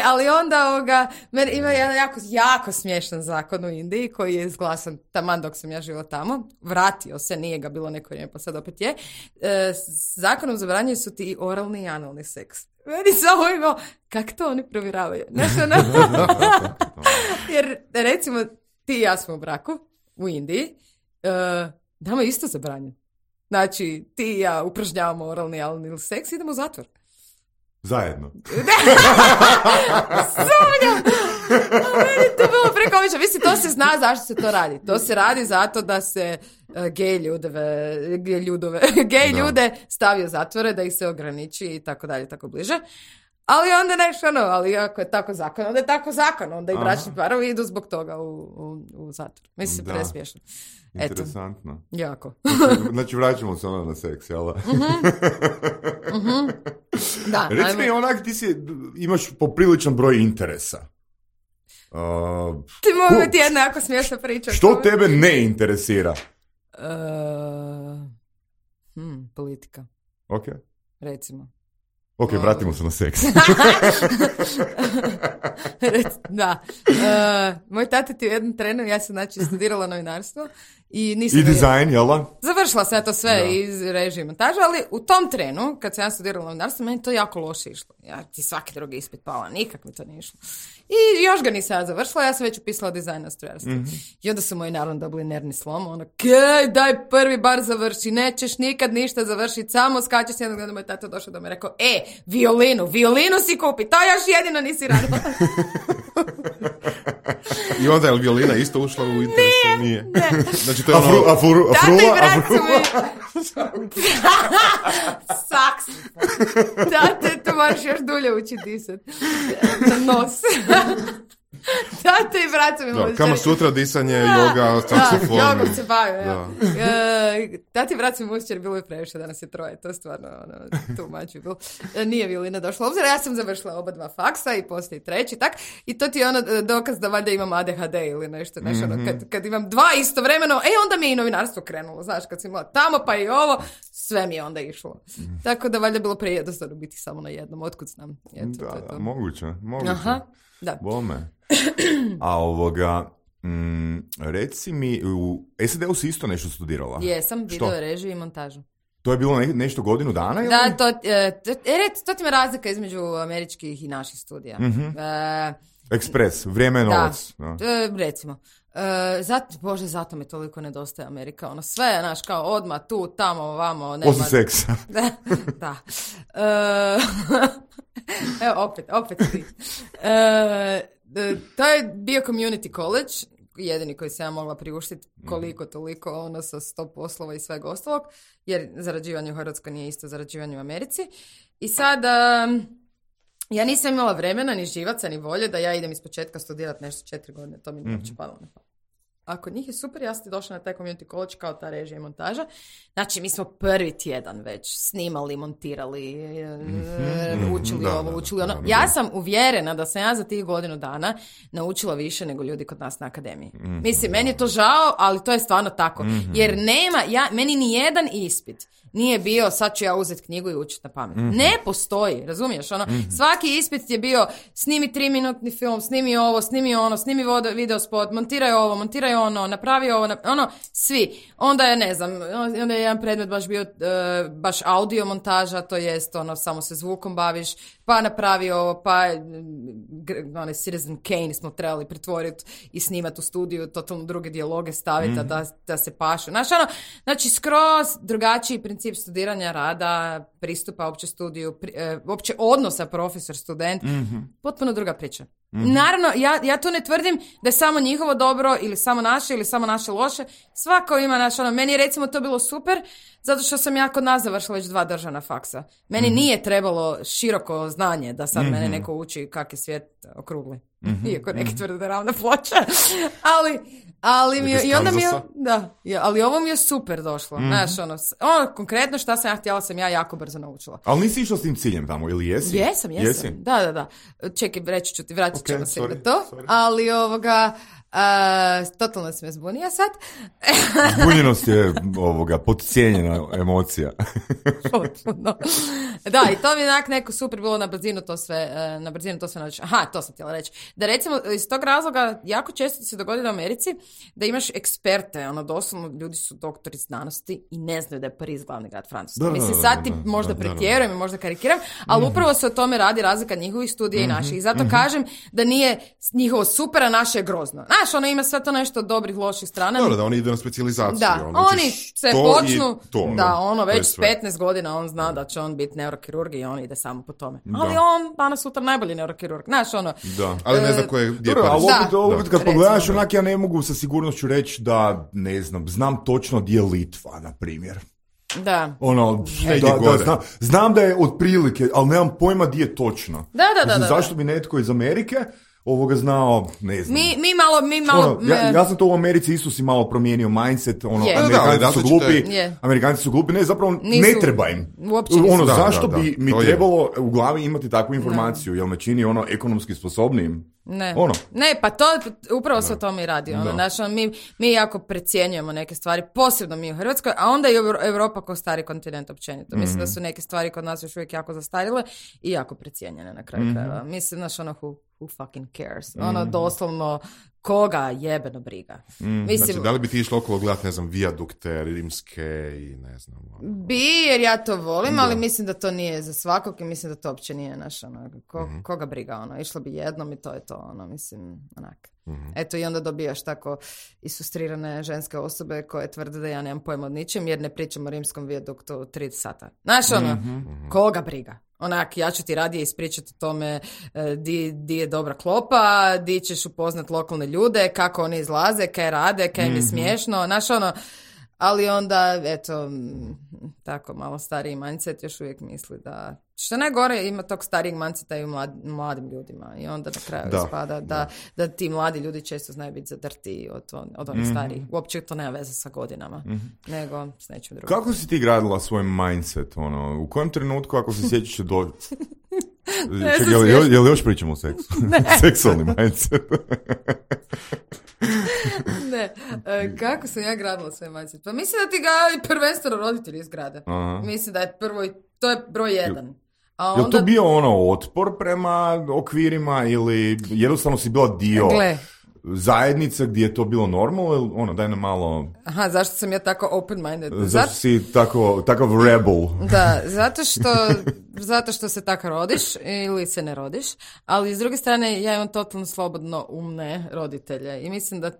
Ali onda ima jedan jako smiješan zakon u Indiji koji je izglasan taman dok sam ja živjela tamo. Vratio se, nije ga bilo neko vrijeme, pa sad opet je. Zakonom zabranjuju su ti i oralni i analni seks. Meni samo imao, kak to oni provjeravaju? Jer recimo ti i ja smo u braku u Indiji, nama je isto zabranjen. Znači, ti i ja upražnjavamo oralni ili seks i idemo u zatvor. Zajedno. Sumnjam! Meni to bilo prekomično. Mislim, to se zna zašto se to radi. To se radi zato da se gej ljude stavi u zatvore, da ih se ograniči i tako dalje, tako bliže. Ali onda ali ako je tako zakon, onda je tako zakon. Onda i bračni parovi idu zbog toga u zatvor. Mislim, presmiješno. Interesantno. Jako. Znači, vraćamo se na seks, jel? Da. Reci mi, ti imaš popriličan broj interesa. Ti mogu ti jedna jako smiješna priča. Što tebe ne interesira? Politika. Ok. Recimo. Ok, vratimo se na seks. Da. Moj tata ti u jednom trenu, ja sam studirala novinarstvo I dizajn, jel da? Završila sam ja to sve iz režije i montaža, ali u tom trenu, kad sam ja studirala novinarstvo, meni to jako loše išlo. Ja ti svaki drugi ispit pala, nikak mi to nije išlo. I još ga nisam ja završila, ja sam već upisala dizajn na strojarstvu. I onda su moji naravno dobili nervni slom, ono, daj prvi bar završi, nećeš nikad ništa završiti, samo skačeš jednog dana, moj tata došao do me i rekao, violinu si kupi, to još jedino nisi radila. I onda je violina isto ušla u interes? Nije. Znači to je A frula? Saks. Tate, to moraš još dulje ući disat. Na nos. Tate i brat mi može. Kama sutra, disanje, joga, saksofon. Da, jogom se bavio. Tate i brat mi mušćer, bilo je previše, danas je troje. To je stvarno too much bilo. Nije violina došla u obzir. Ja sam završila oba dva faksa i poslije i treći, tak. I to ti je dokaz da valjda imam ADHD ili nešto. Kad imam dva istovremeno, onda mi je i novinarstvo krenulo. Znaš, kad sam imala tamo pa i ovo, sve mi je onda išlo. Tako da valjda bilo prejednostavno biti samo na jednom. Otkud znam? Da, moguće. Aha, da. Bome. A reci mi, u SAD-u si isto nešto studirala? Jesam, video režiju i montažu. To je bilo nešto godinu dana? Ili? Da, to ti me razlika između američkih i naših studija. Ekspres, vrijeme je novac. Recimo. Zato mi toliko nedostaje Amerika. Ono sve je, znaš, kao odmah tu, tamo, ovamo. Osim seksa. Da. Evo, opet ti. To je bio community college, jedini koji sam ja mogla priuštiti koliko toliko, sa 100 poslova i svega ostalog, jer zarađivanje u Hrvatskoj nije isto zarađivanje u Americi. I sad, ja nisam imala vremena, ni živaca, ni volje da ja idem iz početka studirati nešto 4 godine, to mi nije uopće padalo na pamet. A kod njih je super, ja sam došla na taj community college kao ta režija i montaža. Znači, mi smo prvi tjedan već snimali, montirali, učili ovo, učili ono. Ja sam uvjerena da sam ja za tih godinu dana naučila više nego ljudi kod nas na akademiji. Mislim, meni je to žao, ali to je stvarno tako. Jer meni ni jedan ispit nije bio, sad ću ja uzeti knjigu i učiti na pamet. Ne postoji, razumiješ? Svaki ispit je bio, snimi 3-minutni film, snimi ovo, snimi ono, snimi video spot, montiraj ovo, montiraj ono, napravi ovo, svi. Onda je, ne znam, onda je jedan predmet baš bio baš audio montaža, to jest samo se zvukom baviš, pa napravi ovo, pa Citizen Kane smo trebali pretvoriti i snimati u studiju, totalno druge dijaloge staviti da se pašu. Znači, skroz drugačiji princip studiranja, rada, pristupa opće studiju, opće odnosa profesor-student, potpuno druga priča. Naravno, ja tu ne tvrdim da je samo njihovo dobro ili samo naše ili samo naše loše. Svako ima meni je recimo to bilo super zato što sam ja kod nas završila već 2 državna faksa. Meni nije trebalo široko znanje da sad mene neko uči kak je svijet okrugli. Iako neki tvrde da je ravna ploča. Ali ovo mi je super došlo. Znaš, konkretno šta sam ja htjela sam ja jako brzo naučila. Ali nisi išla s tim ciljem tamo, ili jesi? Jesam. Da. Čekaj, reći ću ti, vratit ćemo se na to. Ali totalno se me zbunija sad. Zbunjenost je podcijenjena emocija. Potpuno. Da, i to mi je neko super bilo na brzinu to sve naučiti. Aha, to sam htjela reći. Da recimo, iz tog razloga jako često se dogodi u Americi da imaš eksperte, doslovno ljudi su doktori znanosti i ne znaju da je Pariz glavni grad Francuske. Mislim, sad ti možda pretjerujem i možda karikiram, ali upravo se o tome radi razlika njihovih studija i naših. I zato kažem da nije njihovo super, a naše je grozno. Znaš, ima sve to nešto od dobrih, loših strana. Dobro, da oni idu na specijalizaciju. Da, oni se počnu, već s 15 godina on zna da će on biti neurokirurg i on ide samo po tome. Ali on danas sutra najbolji neurokirurg. Znaš, Da, ali ne zna gdje je Pariz. Opet kad pogledaš, ja ne mogu sa sigurnošću reći da, ne znam točno gdje je Litva, na primjer. Da. Znam da je otprilike, ali nemam pojma gdje je točno. Da. Zašto bi netko iz Amerike znao, ne znam. Mi malo... Ja sam to u Americi isto si malo promijenio mindset, Amerikanci su glupi, ne, zapravo ne treba im. Zašto bi mi trebalo u glavi imati takvu informaciju, jel me čini ekonomski sposobnijim? Ne, pa to upravo se o tome i radi. Mi jako precjenjujemo neke stvari, posebno mi u Hrvatskoj, a onda i Europa kao stari kontinent općenito. Mislim da su neke stvari kod nas još uvijek jako zastarjele i jako precijenjene na kraju krajeva. Mislim, who who fucking cares? Ono, doslovno, koga jebeno briga. Mislim, znači, da li bi ti išla okolo gledati, ne znam, vijadukte, rimske i ne znam... Bi, jer ja to volim, ali mislim da to nije za svakog i mislim da to uopće nije naš, ono, koga briga, ono, išla bi jednom i to je to, ono, mislim, onak. Eto, i onda dobijaš tako isustrirane ženske osobe koje tvrde da ja nemam pojma od ničem, jer ne pričam o rimskom vijaduktu 3 sata. Znaš, ono, koga briga? Onak, ja ću ti radije ispričati o tome di je dobra klopa, di ćeš upoznat lokalne ljude, kako oni izlaze, kaj rade, kaj im je smiješno, znaš, ono, ali onda, eto, tako malo stariji mindset još uvijek misli da, što najgore ima tog starijeg mindseta i u mladim ljudima i onda na kraju ispada da ti mladi ljudi često znaju biti zadrti od onih starijih. Uopće to nema veze sa godinama, nego s nečim drugim. Kako si ti gradila svoj mindset? Ono, u kojem trenutku, ako se sjećaš do... Čekaj, je li još pričamo o seksu? Seksualni mindset. Ne, kako sam ja gradila svoj mindset? Pa mislim da ti ga i prvenstveno roditelji izgrade. Mislim da je to je broj 1. A onda... Je li to bio ono otpor prema okvirima ili jednostavno si bila dio zajednice gdje je to bilo normalno ili ono, daj nam malo... Aha, zašto sam ja tako open-minded? Zašto si takav rebel? Da, zato što se tako rodiš ili se ne rodiš, ali s druge strane ja imam totalno slobodno umne roditelje i mislim da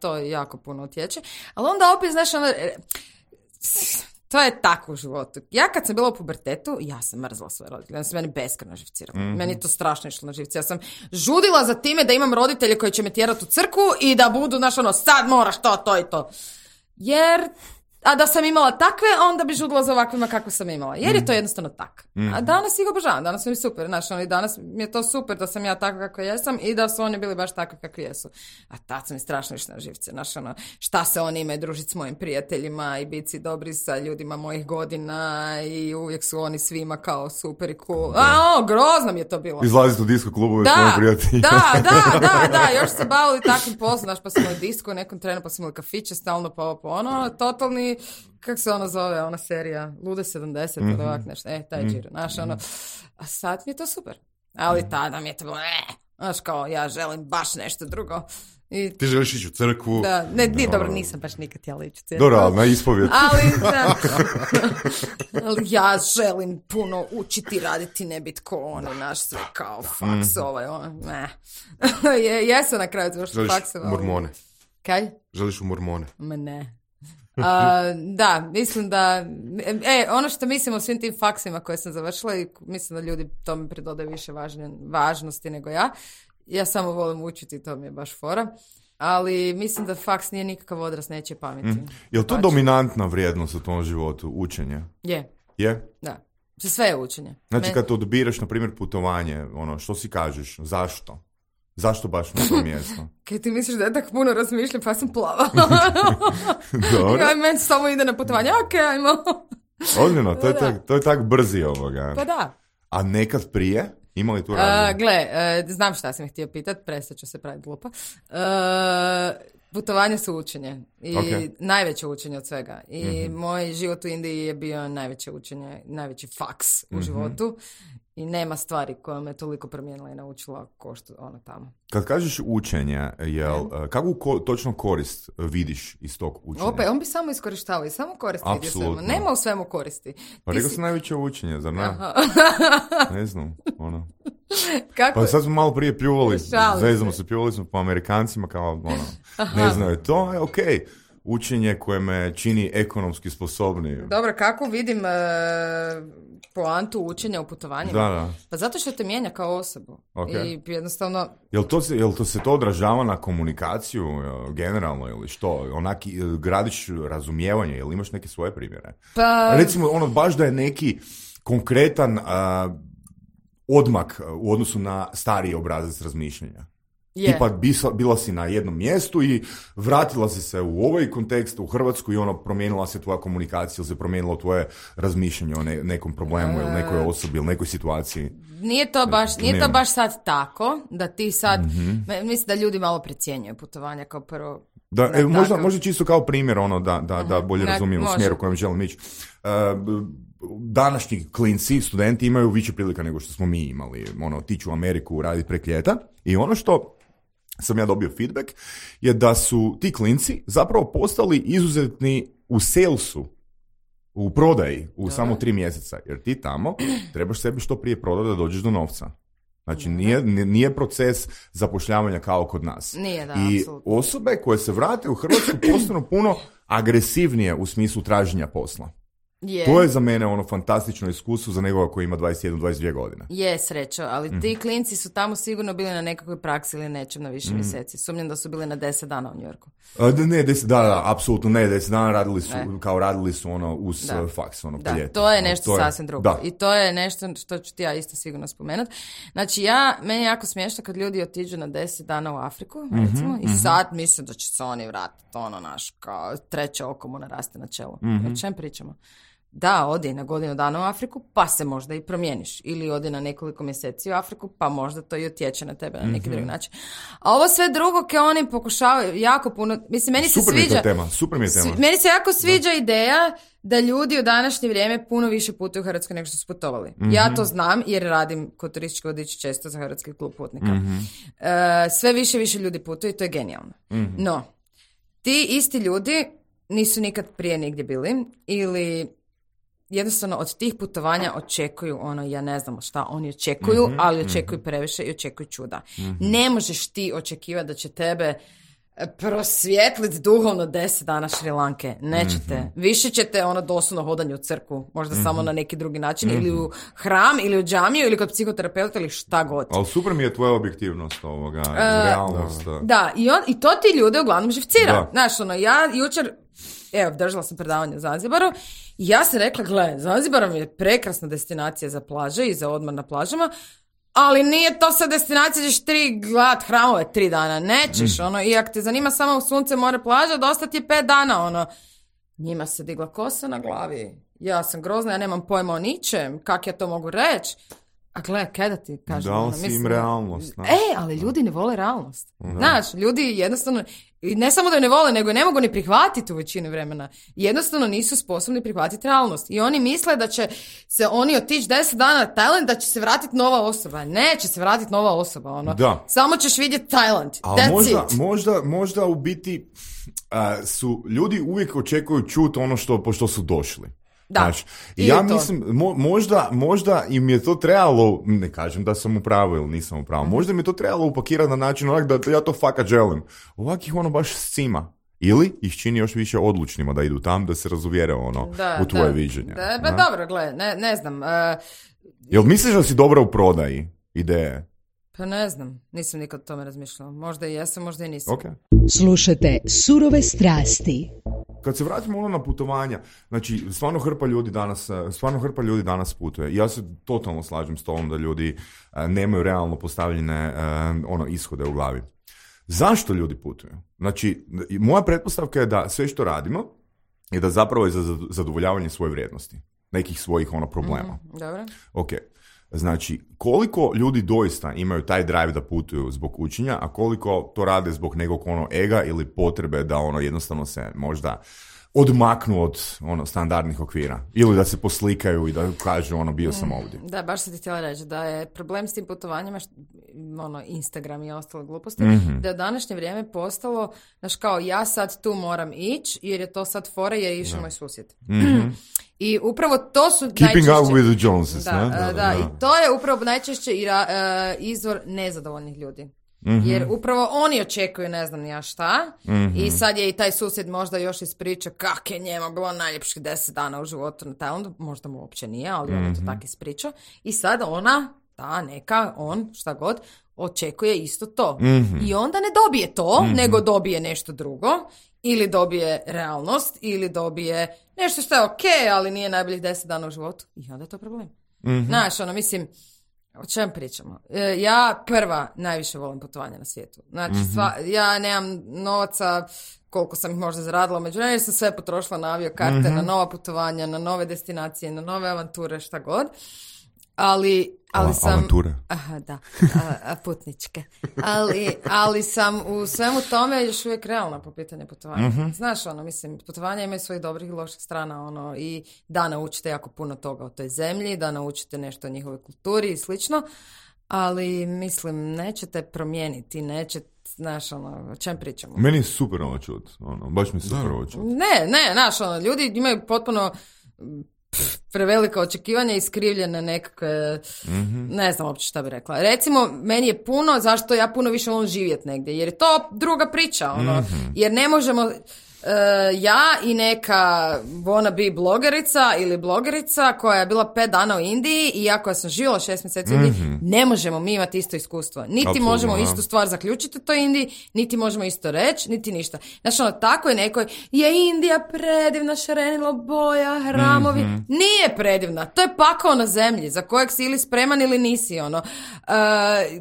to jako puno utječe. Ali onda opet, znaš, ono... To je tako u životu. Ja kad sam bila u pubertetu, ja sam mrzla svoje roditelje. Oni su meni beskrajno živcirali. Meni je to strašno išlo na živci. Ja sam žudila za time da imam roditelje koji će me tjerati u crkvu i da budu, znaš, ono, sad moraš to i to. Jer... A da sam imala takve, onda bi žudila za ovakvima kakve sam imala. Jer je to jednostavno tak. A danas ih obožavam, danas mi je super. Znaš, i danas mi je to super da sam ja takva kako jesam i da su oni bili baš takvi kakvi jesu. A tad sam mi strašno išla na živce. Znaš, ono, šta se oni imaju družiti s mojim prijateljima i biti dobri sa ljudima mojih godina i uvijek su oni svima kao super i cool. Grozno mi je to bilo. Izlaziti u disko klubove s mojim prijateljima. Da, još se bavili takvim poslom. Znaš, pa smo u disku u nekom trenu, pa smo imali kafiće stalno, pa ono, totalni, kako se ono zove, ona serija, Lude 70, ili ovak nešto, taj džir, znaš, ono, a sad mi je to super, ali tada mi je to bilo, znaš, kao, ja želim baš nešto drugo. I... Ti želiš ići u crkvu? Da, dobro, nisam baš nikad htjela ići u crkvu. Dobro, ali na ispovjed. Ali ja želim puno učiti, raditi, ne biti ko oni, naš sve kao faks, Jesam na kraju završiti fakse. Želiš mormone? Kaj? Želiš u mormone? Ma ne. Da, mislim da ono što mislim o svim tim faksima koje sam završila i mislim da ljudi tome pridodaju više važnosti nego ja samo volim učiti, to mi je baš fora, ali mislim da faks nije nikakav odraz nečije pameti. Je li to dominantna vrijednost u tom životu, učenje? Je? Da, sve je učenje. Znači kad odbiraš na primjer putovanje, ono, što si kažeš, zašto? Zašto baš na to mjesto? Kaj ti misliš da ja tako puno razmišljam, pa sam plava. Dobro. Ja, meni samo ide na putovanje, ajmo. Ozbiljno, to je tak brzi ovoga. Pa da. A nekad prije? Ima li tu razlog? Znam šta sam htio pitat, prestat ću se praviti glupa. Putovanje su učenje i najveće učenje od svega. I moj život u Indiji je bio najveće učenje, najveći faks u životu. I nema stvari koja me toliko promijenila i naučila ko što ono tamo. Kad kažeš učenje, kakvu točno korist vidiš iz tog učenja? Opet, on bi samo iskorištavao i samo koristi vidio svemu. Nema u svemu koristi. Pa rekao sam najveće učenje, zar ne? Ne znam, ono. Kako? Pa sad smo malo prije pljuvali, pljuvali smo po Amerikancima kao, ono, ne znaju, to je okej. Učenje koje me čini ekonomski sposobnijim. Dobro, kako vidim poantu učenja u putovanjima? Da. Pa zato što te mijenja kao osobu. I jednostavno... Jel to se to odražava na komunikaciju generalno ili što? Onaki gradiš razumijevanje ili imaš neke svoje primjere? Pa... Recimo, ono, baš da je neki konkretan odmak u odnosu na stariji obrazac razmišljanja. Tipa bila si na jednom mjestu i vratila si se u ovaj kontekst u Hrvatsku i ono promijenila se tvoja komunikacija ili se promijenilo tvoje razmišljanje o nekom problemu ili nekoj osobi ili nekoj situaciji. Nije to baš sad tako da ti sad, mislim da ljudi malo precjenjuju putovanja kao prvo. Možda čisto kao primjer ono da bolje razumijemo smjer u kojem želim ići. današnji klinci, studenti imaju više prilika nego što smo mi imali. Otići u Ameriku, raditi prek ljeta. I ono što sam ja dobio feedback je da su ti klinci zapravo postali izuzetni u salesu, u prodaji, u samo 3 mjeseca. Jer ti tamo trebaš sebi što prije prodati da dođeš do novca. Znači, nije proces zapošljavanja kao kod nas. Nije, da, i apsolutno. osobe koje se vrate u Hrvatsku postanu puno agresivnije u smislu traženja posla. To je za mene fantastično iskustvo za nekoga koji ima 21-22 godine. Je, srećo, ali ti klinci su tamo sigurno bili na nekakvoj praksi ili nečem na više mjeseci. Sumnjam da su bili na 10 dana u New Yorku. Ne, 10 dana, apsolutno ne, 10 dana radili su uz faks, Da, to je nešto sasvim drugo. Da. I to je nešto što ću ti ja isto sigurno spomenuti. Znači, meni je jako smiješno kad ljudi otiđu na 10 dana u Afriku, recimo, i sad mislim da će se oni vratiti, kao treće oko mu naraste na čelo. O čem pričamo? Da, odi na godinu dana u Afriku, pa se možda i promijeniš. Ili odi na nekoliko mjeseci u Afriku, pa možda to i utječe na tebe na neki drugi način. A ovo sve drugo ke oni pokušavaju jako puno... Mislim, meni se sviđa... Super mi je tema. Meni se jako sviđa ideja da ljudi u današnje vrijeme puno više putuju u Hrvatsku nego što su putovali. Ja to znam jer radim kod turističkog vodiča često za Hrvatski klub putnika. Sve više ljudi putuju i to je genijalno. No, ti isti ljudi nisu nikad prije nigdje bili ili... jednostavno od tih putovanja očekuju ja ne znam šta oni očekuju, ali očekuju previše i očekuju čuda. Ne možeš ti očekivati da će tebe prosvjetliti duhovno 10 dana Šrilanke. Nećete. Više ćete doslovno hodanje u crkvu, možda samo na neki drugi način, ili u hram, ili u džamiju, ili kod psihoterapeuta, ili šta god. Ali super mi je tvoja objektivnost realnost. Da, i to ti ljude uglavnom živcira. Znaš, ja jučer držala sam predavanje u Zanzibaru i ja sam rekla, gle, Zanzibar mi je prekrasna destinacija za plaže i za odmor na plažama, ali nije to sad destinacija da ćeš gledat hramove 3 dana, nećeš, i ako te zanima samo sunce, more, plaža, dosta ti je 5 dana, njima se digla kosa na glavi, ja sam grozna, ja nemam pojma o ničem, kak ja to mogu reći? A gle, kaj da ti kažem? Dao si im realnost. Ali ljudi ne vole realnost. Znaš, ljudi jednostavno, ne samo da je ne vole, nego ne mogu ni prihvatiti u većini vremena. Jednostavno nisu sposobni prihvatiti realnost. I oni misle da će se oni otići 10 dana na Tajland, da će se vratiti nova osoba. Neće se vratiti nova osoba. Samo ćeš vidjeti Tajland. Možda u biti su ljudi uvijek očekuju čuti po što su došli. Da. Znači, ja mislim, možda im je to trebalo, ne kažem da sam u pravu ili nisam u pravu, možda mi je to trebalo upakirati na način da ja to fakat želim. Ovak ih baš scima. Ili ih čini još više odlučnima da idu tam, da se razuvjere u tvoje viđenje. Dobro, gle, ne znam. Jel misliš da si dobra u prodaji ideje? Pa ne znam, nisam nikad o tome razmišljala. Možda i jesam, možda i nisam. Okay. Slušajte Surove strasti. Kad se vratimo na putovanja, znači stvarno hrpa ljudi danas putuje. Ja se totalno slažem s tom da ljudi nemaju realno postavljene ishode u glavi. Zašto ljudi putuju? Znači, moja pretpostavka je da sve što radimo je da zapravo je za zadovoljavanje svoje vrijednosti, nekih svojih problema. Dobro. Ok. Znači, koliko ljudi doista imaju taj drive da putuju zbog učenja, a koliko to rade zbog nekog ega ili potrebe da jednostavno se možda odmaknu od standardnih okvira. Ili da se poslikaju i da kažu bio sam ovdje. Da, baš sam ti htjela reći da je problem s tim putovanjima, Instagram i ostale gluposti, da je u današnje vrijeme postalo, znaš kao, ja sad tu moram ići jer je to sad fora jer je išao moj susjed. I upravo to su Keeping najčešće... up with the Joneses, da, i to je upravo najčešće izvor nezadovoljnih ljudi. Jer upravo oni očekuju ne znam ja šta i sad je i taj susjed možda još ispriča kak je njema bilo najljepših 10 dana u životu na Tajlandu, možda mu uopće nije, ali on to tako ispriča i sad ona, on, šta god, očekuje isto to. I onda ne dobije to, nego dobije nešto drugo, ili dobije realnost, ili dobije nešto što je okej, ali nije najboljih 10 dana u životu i onda je to problem. Znaš, mislim, o čem pričamo? Ja prva najviše volim putovanja na svijetu. Znači, ja nemam novaca koliko sam ih možda zaradila, međutim, jer sam sve potrošila na aviokarte, na nova putovanja, na nove destinacije, na nove avanture, šta god. ali sam... Avanture. Aha, da, putničke. Ali sam u svemu tome još uvijek realna po pitanju putovanja. Znaš, mislim, putovanja imaju svojih dobrih i loših strana, i da naučite jako puno toga o toj zemlji, da naučite nešto o njihovoj kulturi i slično, ali, mislim, nećete promijeniti, znaš, o čem pričamo? Meni je super ovo čut, baš mi je super ovo čut. Ne, znaš, ljudi imaju potpuno prevelika očekivanja i skrivljene nekakve, ne znam uopće šta bi rekla. Recimo, meni je puno, zašto ja puno više volim živjeti negdje, jer je to druga priča, jer ne možemo... ja i neka wannabe blogerica ili blogerica koja je bila 5 dana u Indiji i ja koja sam živjela 6 mjeseci u Indiji, ne možemo mi imati isto iskustvo. Niti Absolutno, možemo istu stvar zaključiti u toj Indiji, niti možemo isto reći, niti ništa. Znači, tako je nekoj, je Indija predivna, šarenilo boja, hramovi. Nije predivna. To je pakao na zemlji za kojeg si ili spreman ili nisi,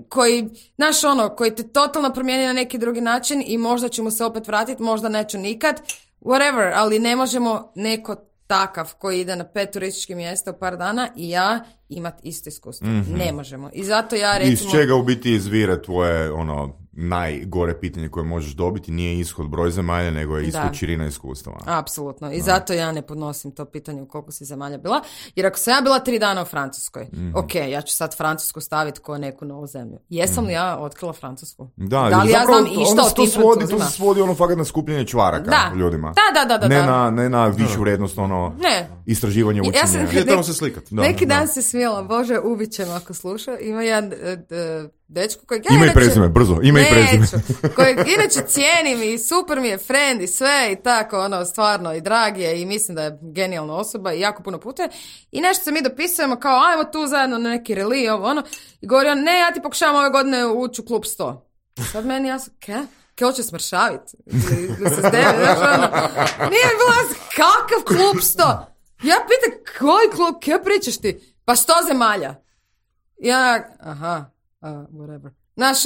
koji, znaš, koji te totalno promijeni na neki drugi način i možda ću mu se opet vratiti, možda neću nikad. Whatever, ali ne možemo neko takav koji ide na 5 turističkih mjesta u par dana i ja imati isto iskustvo. Ne možemo. I zato ja recimo... Iz čega u biti izvire tvoje najgore pitanje koje možeš dobiti nije ishod broj zemalja, nego je ishod širina iskustava. Apsolutno. I zato ja ne podnosim to pitanje u koliko si zemalja bila. Jer ako sam ja bila 3 dana u Francuskoj, ok, ja ću sad Francusku staviti kao neku novu zemlju. Jesam li ja otkrila Francusku? Da li ja znam išta o tim Francuzima? To se svodi fakat na skupljanje čvaraka ljudima. Da. Ne na višu vrijednost, istraživanje učenja. Ja tamo se slikati. Neki dan se smijela, Bože, ubit će me ako sluša. Ima jedan dečko kojeg Ima i prezime, brzo, ima i prezime. Kojeg inače cijenim i super mi je friend i sve i tako, stvarno i drag je i mislim da je genijalna osoba i jako puno putuje. I nešto se mi dopisujemo kao, ajmo tu zajedno na neki reli, i govori on, ne, ja ti pokušavam ove godine ući u klub 100. Sad meni jasno, Kaj hoće smršaviti? Nije bilo kakav klub 100? Ja pitam, koji klub, kaj pričaš ti? Pa 100 zemalja. Ja, whatever. Znaš,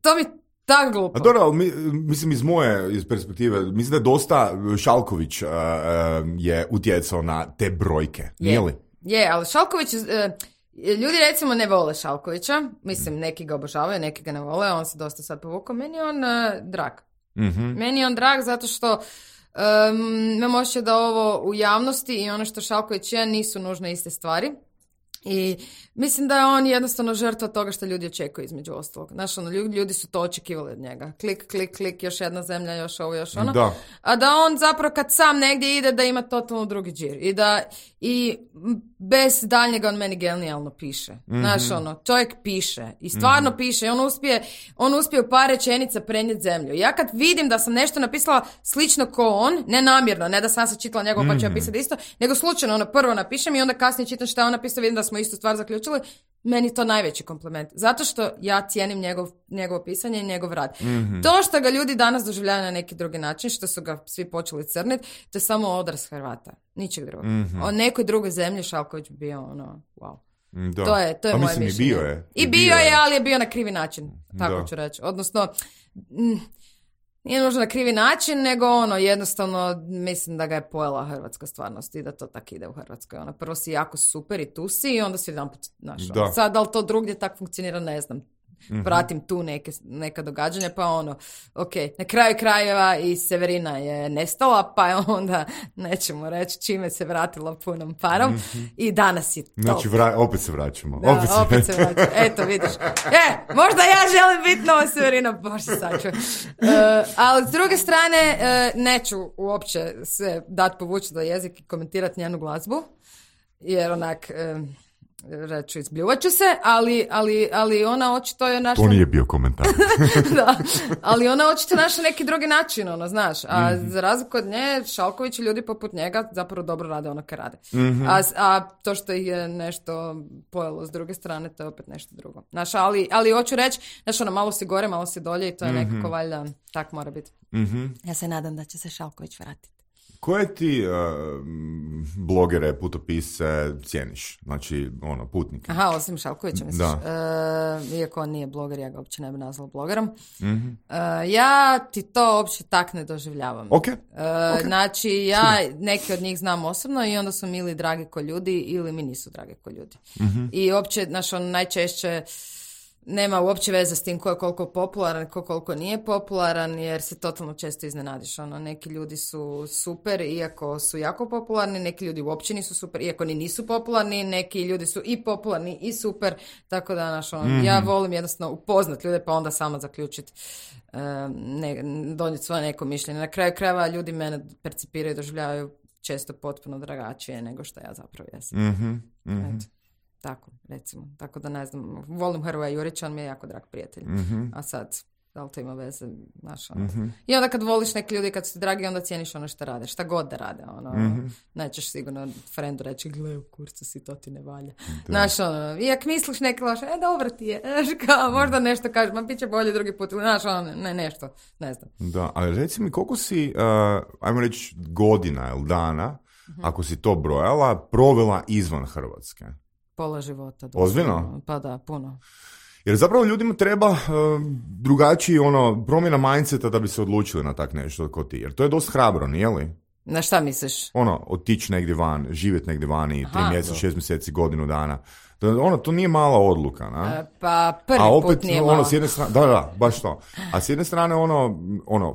to mi tako glupo. A dobro, ali mislim iz moje perspektive, mislim da je dosta Šalković je utjecao na te brojke, nije li? Je, ali Šalković, ljudi recimo ne vole Šalkovića, mislim neki ga obožavaju, neki ga ne vole, on se dosta sad povukao, meni je on drag. Meni je on drag zato što imam osjećaj da ovo u javnosti i ono što Šalković je nisu nužno iste stvari. I mislim da je on jednostavno žrtva toga što ljudi očekuju između ostalog. Znaš, ljudi su to očekivali od njega. Klik, još jedna zemlja, još ovo, još ono. Da. A da on zapravo kad sam negdje ide da ima totalno drugi džir. I bez daljnjega on meni genijalno piše. Znaš, čovjek piše. I stvarno piše. I on uspije u par rečenica prenijeti zemlju. Ja kad vidim da sam nešto napisala slično ko on, ne namjerno, ne da sam se čitala njegov pa ću ja pisati isto, nego slučajno prvo napišem i onda kasnije čitam šta on napisao, vidim da smo istu stvar zaključili, meni je to najveći kompliment. Zato što ja cijenim njegovo pisanje i njegov rad. To što ga ljudi danas doživljaju na neki drugi način, što su ga svi počeli crniti, to je samo odraz Hrvata. Ničeg drugog. O nekoj drugoj zemlji Šalković bi bio wow. Da. To je moje mislim, mišljenje. I bio je, ali je bio na krivi način. Tako ću reći. Odnosno, nije nužno na krivi način, nego jednostavno mislim da ga je pojela hrvatska stvarnost i da to tako ide u Hrvatskoj. Prvo si jako super i tu si i onda si jedanput našao. Sad, da li to drugdje tako funkcionira, ne znam. Pratim tu neka događanja, pa ok, na kraju krajeva i Severina je nestala, pa je onda, nećemo reći, čime se vratila punom parom i danas je to. Znači, opet se vraćamo. Da, opet se vraćamo. Eto, vidiš. Možda ja želim biti nova Severina, bože sačuj. Ali s druge strane, neću uopće se dati povući do jezik i komentirati njenu glazbu, jer onak... reću, izbljuvat ću se, ali ona očito je našla... To nije bio komentar. Da, ali ona očito našla neki drugi način, znaš. A za razliku od nje, Šalković i ljudi poput njega zapravo dobro rade ono kad rade. A to što ih je nešto pojelo s druge strane, to je opet nešto drugo. Znaš, ali hoću reći, znaš, malo si gore, malo si dolje i to je nekako valjda, tak mora biti. Ja se nadam da će se Šalković vratiti. Koje ti blogere, putopise cijeniš? Znači, putnike. Aha, osim Šalkovića, misliš? Da. Iako on nije bloger, ja ga uopće ne bi nazvala blogerom. Mm-hmm. Ja ti to uopće tak ne doživljavam. Okay. Znači, ja neki od njih znam osobno i onda su mi ili dragi ko ljudi ili mi nisu dragi ko ljudi. Mm-hmm. I uopće, najčešće nema uopće veze s tim ko je koliko popularan, ko koliko nije popularan, jer se totalno često iznenadiš. Neki ljudi su super, iako su jako popularni, neki ljudi uopće nisu super, iako ni nisu popularni, neki ljudi su i popularni i super, tako da, ja volim jednostavno upoznat ljude, pa onda sama zaključiti, donijeti svoje neko mišljenje. Na kraju krajeva ljudi mene percipiraju i doživljavaju često potpuno drugačije nego što ja zapravo jesam. Eto. Tako, recimo. Tako da ne znam, volim Hrvoja Jurića, on mi je jako drag prijatelj. Mm-hmm. A sad, da li to ima veze, znaš, I onda kad voliš neki ljudi, kad su ti dragi, onda cijeniš ono što rade, šta god da rade, nećeš sigurno frendu reći, gle, u kurcu si, to ti ne valja. Znaš, iak misliš neki loše, dobro ti je, kao, možda nešto kažeš, ma bit će bolje drugi put, znaš, nešto, ne znam. Da, ali reci mi, koliko si, ajmo reći, godina ili dana, ako si to brojala, provela izvan Hrvatske? Pola života. Ozbiljno? Pa da, puno. Jer zapravo ljudima treba drugačiji promjena mindseta da bi se odlučili na tak nešto kao ti. Jer to je dosta hrabro, nije li? Na šta misliš? Otići negdje van, živjeti negdje vani, 3 mjeseca, 6 mjeseci, godinu dana. To nije mala odluka, na? Pa prvi opet, put nije malo. S jedne strane, da, baš to. A s jedne strane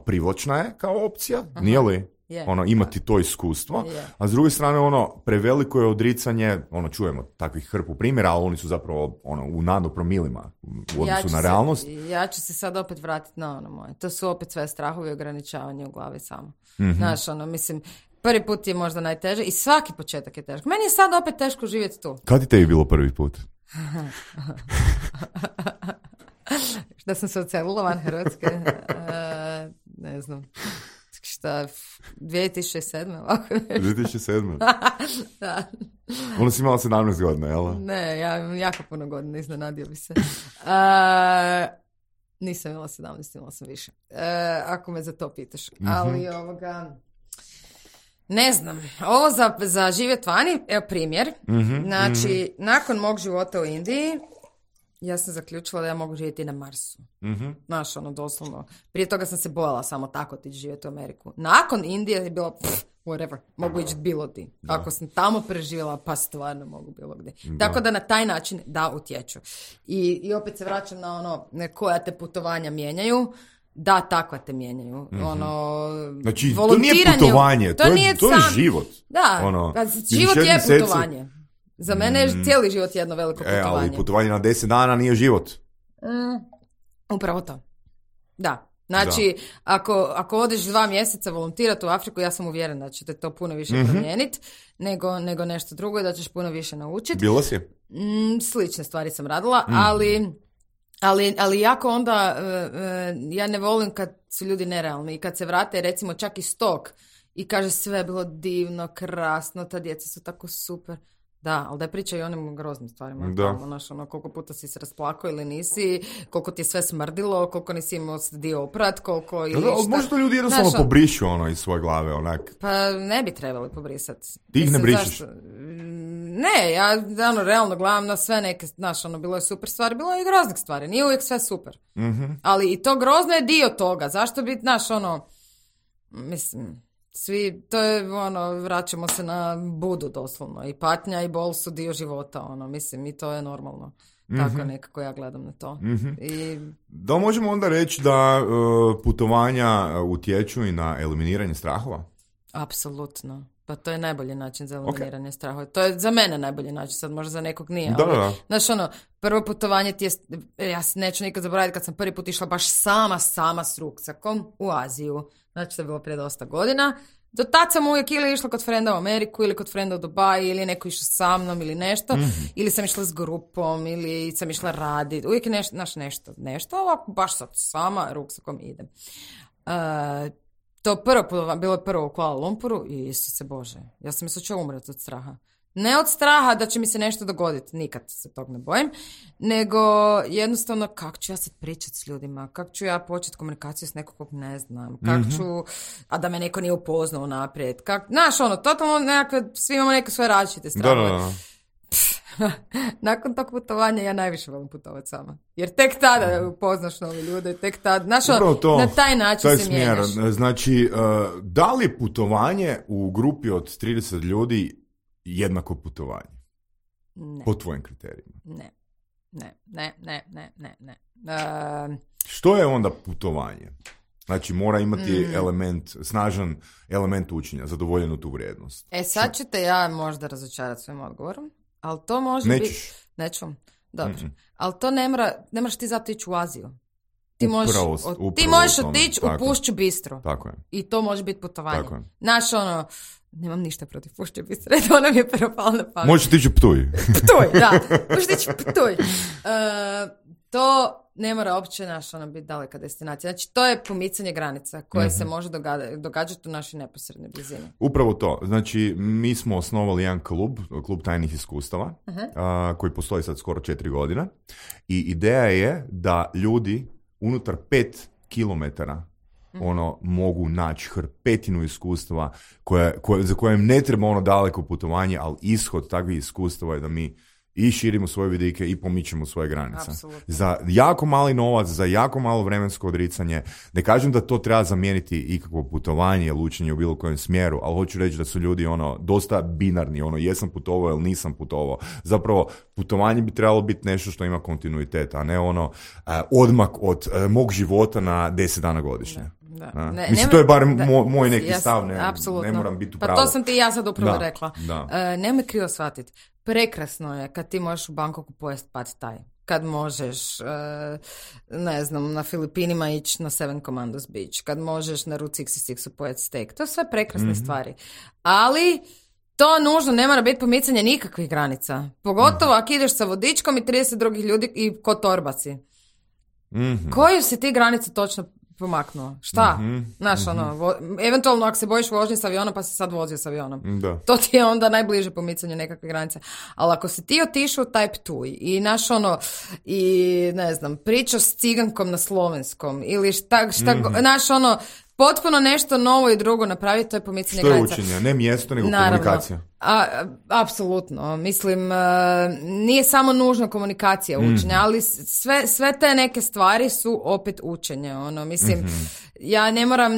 privlačna je kao opcija, nije li? Yeah. Imati to iskustvo, a s druge strane preveliko je odricanje, čujemo takvih hrpu primjera, ali oni su zapravo u nanopromilima u odnosu na realnost. Ja ću se sad opet vratiti na moje. To su opet sve strahovi i ograničavanje u glavi samo. Mm-hmm. Znaš, mislim, prvi put je možda najteže i svaki početak je težak. Meni je sad opet teško živjeti tu. Kad ti tebi bilo prvi put? Da sam se odselila van Hrvatske, ne znam. Šta, 2007. 2007. Da. Ona si imala 17 godina, jel? Ne, ja imam jako puno godina, iznenadio bi se. Nisam imala 17, imala sam više. Ako me za to pitaš. Mm-hmm. Ali ne znam, ovo za živjet vani, evo primjer. Mm-hmm. Znači, nakon mog života u Indiji, ja sam zaključila da ja mogu živjeti na Marsu. Mm-hmm. Znaš, doslovno. Prije toga sam se bojala samo tako otići živjeti u Ameriku. Nakon Indije je bilo, whatever, mogu ići bilo di. Ako sam tamo preživjela, pa stvarno mogu bilo gdje. Tako da na taj način da utječu. I opet se vraćam na koja te putovanja mijenjaju. Da, takva te mijenjaju. Mm-hmm. Znači, to nije putovanje, to je život. Da, život je putovanje. Za mene je cijeli život jedno veliko putovanje. Ali putovanje na 10 dana nije život. Upravo to. Da. Znači, ako odeš 2 mjeseca volontirati u Afriku, ja sam uvjerena da će te to puno više promijeniti nego nešto drugo i da ćeš puno više naučiti. Bila si? Slične stvari sam radila, ali jako onda ja ne volim kad su ljudi nerealni i kad se vrate recimo čak iz tog i kaže sve je bilo divno, krasno, ta djeca su tako super. Da, ali da pričaju o onim groznim stvarima. Da. Koliko puta si se rasplakao ili nisi, koliko ti je sve smrdilo, koliko nisi imao dio oprat, koliko ili šta. Možda ljudi jednostavno pobrišu iz svoje glave, onak. Pa ne bi trebali pobrisati. Ti ih ne brišeš? Ne, ja realno gledam na sve neke, bilo je super stvari, bilo je i groznih stvari, nije uvijek sve super. Mm-hmm. Ali i to grozno je dio toga, zašto bi, mislim... Svi, to je, vraćamo se na Budu doslovno. I patnja i bol su dio života, mislim, i to je normalno. Tako nekako ja gledam na to. Mm-hmm. Da možemo onda reći da putovanja utječu i na eliminiranje strahova? Apsolutno. Pa to je najbolji način za eliminiranje strahova. To je za mene najbolji način, sad možda za nekog nije. Da. Znaš, prvo putovanje ti je, ja se neću nikad zaboraviti kad sam prvi put išla baš sama s ruksakom u Aziju. Znači, to je bilo prije dosta godina. Do tad sam uvijek ili išla kod frenda u Ameriku, ili kod frenda u Dubai, ili neko išao sa mnom, ili nešto. Mm-hmm. Ili sam išla s grupom, ili sam išla raditi. Uvijek je nešto. Ovako, baš sad sama ruksakom idem. To bilo je prvo u Kuala Lumpuru i Isuse Bože. Ja sam mislila će umreti od straha. Ne od straha da će mi se nešto dogoditi, nikad se tog ne bojim, nego jednostavno kako ću ja sad pričati s ljudima, kako ću ja početi komunikaciju s nekog kog ne znam, kako ću, a da me neko nije upoznao naprijed, znaš ono, totalno nekakve, svi imamo neke svoje različite strane. Da. Nakon tog putovanja ja najviše volim putovati sama. Jer tek tada upoznaš nove ljude, tek tada, znaš, na taj način se mijenjaš. Znači, da li je putovanje u grupi od 30 ljudi jednako putovanje? Ne. Po tvojim kriterijima? Ne. Što je onda putovanje? Znači, mora imati snažan element učenja, zadovoljenu tu vrijednost. Sad ću te ja možda razočarati svojim odgovorom, ali to može biti... Neću. Dobro. Ali to ne moraš ti zato ići u Aziju. Ti možeš otići u Pušću Bistro. Tako je. I to može biti putovanje. Tako je. Naš nemam ništa protiv Pušće Bistre, to nam je propalo na pamet. Možeš tići u Ptuj. Ptuj, da. Možeš tići u Ptuj. To ne mora uopće biti daleka destinacija. Znači, to je pomicanje granica koje se može događati u našoj neposrednoj blizini. Upravo to. Znači, mi smo osnovali jedan klub tajnih iskustava, koji postoji sad skoro 4 godine. I ideja je da ljudi unutar 5 kilometara mogu naći hrpetinu iskustava za koje im ne treba daleko putovanje, ali ishod takvih iskustava je da mi i širimo svoje vidike i pomičemo svoje granice. Absolutno. Za jako mali novac, za jako malo vremensko odricanje. Ne kažem da to treba zamijeniti ikakvo putovanje ili učenje u bilo kojem smjeru, ali hoću reći da su ljudi dosta binarni, jesam putovao ili nisam putovao. Zapravo, putovanje bi trebalo biti nešto što ima kontinuitet, a ne odmak od mog života na 10 dana godišnje. Da. Mislim, to je bar moj neki stav, ne moram biti u pravu. Pa to sam ti ja sad upravo rekla. Da. Nemoj krivo shvatiti. Prekrasno je kad ti možeš u Bangkoku pojesti pad thai. Kad možeš, ne znam, na Filipinima ići na Seven Commandos Beach. Kad možeš na Route 66 pojesti steak. To je sve prekrasne stvari. Ali to nužno ne mora biti pomicanje nikakvih granica. Pogotovo ako ideš sa vodičkom i 30 drugih ljudi i ko torbaci. Koju si ti granice točno pomaknuo? Šta? Znaš, eventualno ako se bojiš vožnje s avionom, pa si sad vozio s avionom. Da. To ti je onda najbliže pomicanju nekakve granice. Ali ako si ti otišao u taj Ptuj i i ne znam, pričaš s cigankom na slovenskom ili šta potpuno nešto novo i drugo napraviti, to je pomicanje granica. Što je učenje? Ne mjesto, nego komunikacija. Apsolutno. Mislim, nije samo nužno komunikacija učenja, ali sve te neke stvari su opet učenje. Mislim, ja ne moram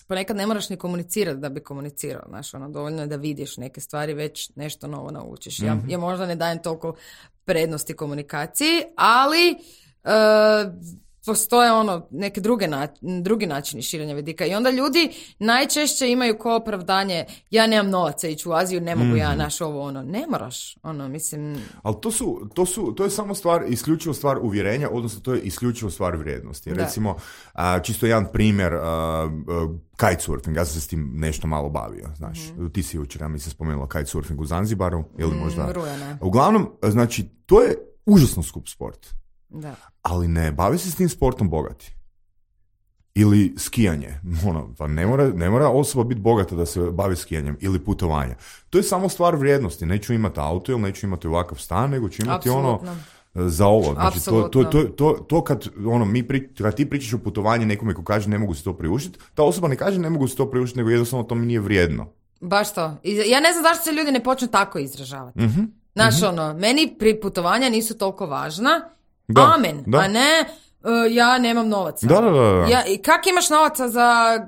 ponekad ne moraš ni komunicirati da bi komunicirao. Znaš, dovoljno je da vidiš neke stvari, već nešto novo naučiš. Ja možda ne dajem toliko prednosti komunikaciji, ali postoje neke drugi načini širenja vidika i onda ljudi najčešće imaju ko opravdanje, ja nemam novaca ići u Aziju, ne mogu ja ne moraš, mislim. Ali to je samo isključivo stvar uvjerenja, odnosno to je isključivo stvar vrijednosti. Recimo, čisto jedan primjer, kitesurfing, ja sam se s tim nešto malo bavio, znaš. Ti si jučer, ja mi se spomenula kitesurfing u Zanzibaru, ili možda. Uglavnom, znači, to je užasno skup sport. Da. Ali ne bavi se s tim sportom bogati. Ili skijanje. Pa ne mora osoba biti bogata da se bavi skijanjem ili putovanje. To je samo stvar vrijednosti. Neću imati auto ili neću imati ovakav stan, nego ću imati za ovo. Znači, to kad ti pričaš o putovanju nekome ko kaže ne mogu se to priuštiti, ta osoba ne kaže ne mogu se to priuštiti, nego jednostavno to mi nije vrijedno. Baš to. Ja ne znam zašto se ljudi ne počnu tako izražavati. Znaš, meni putovanja nisu toliko važna. Amen, da. A ne ja nemam novaca. Da. Kak imaš novaca za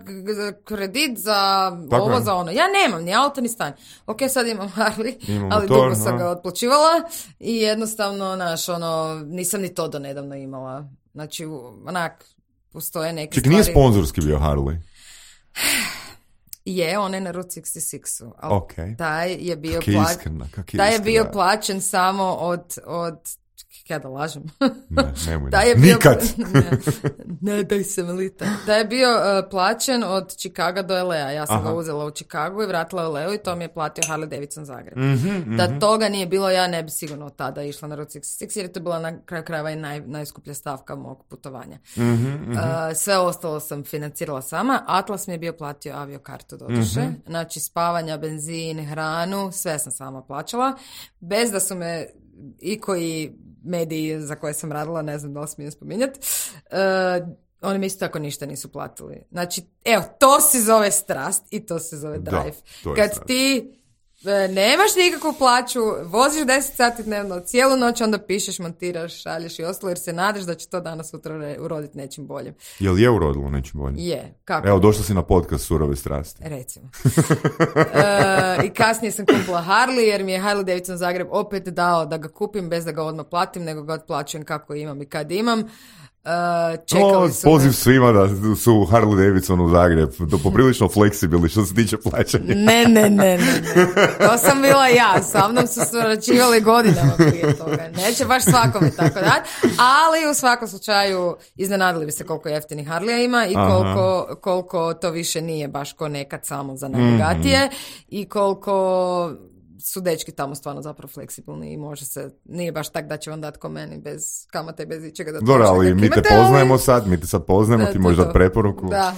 kredit, za tako ovo, je. za ono? Ja nemam ni auto ni stan. Ok, sad imam Harley, ali motor, dugo sam ga otplaćivala i jednostavno, nisam ni to do nedavno imala. Znači, postoje neke stvari. Ček, nije sponzorski bio Harley? Je, on je na Route 66-u. Okay. Taj je bio plaćen samo od Ja da lažem. Nemoj. Da je bio, Nikad! ne daj se Melita. Da je bio plaćen od Chicaga do LA. Ja sam ga uzela u Chicagu i vratila u LA i to mi je platio Harley Davidson Zagreb. Da toga nije bilo, ja ne bi sigurno od tada išla na Route 66 jer je to bila na kraju krajeva i najskuplja stavka mog putovanja. Sve ostalo sam financirala sama. Atlas mi je bio platio aviokartu doduše. Znači spavanja, benzin, hranu, sve sam sama plaćala. Bez da su me i koji mediji za koje sam radila, ne znam da li smijem spominjati, oni mi isto tako ništa nisu platili. Znači, evo, to se zove strast i to se zove drive. Kad strast. Ti nemaš nikakvu plaću, voziš 10 sati dnevno, cijelu noć onda pišeš, montiraš, šalješ i ostalo jer se nadaš da će to danas sutra uroditi nečim boljim. Jel je urodilo nečim boljim? Je. Kako? Evo, došla si na podcast Surove strasti. Recimo. I kasnije sam kupila Harley jer mi je Harley Davidson Zagreb opet dao da ga kupim bez da ga odmah platim, nego ga otplaćujem kako imam i kad imam. Čekali su poziv svima da su Harley Davidson u Zagreb, poprilično fleksibilni što se tiče plaćanja. Ne. To sam bila ja, sa mnom su surađivali godinama prije toga. Neće baš svakome tako dati, ali u svakom slučaju iznenadili bi se koliko jeftinih Harleya ima i koliko to više nije baš ko nekad samo za najbogatije i koliko su dečki tamo stvarno zapravo fleksibilni i može se, nije baš tak da će vam dati ko meni bez kamata i bez ičega da to dobro, ali mi te poznajemo sad, mi te sad poznajemo, ti možeš dati preporuku. Da,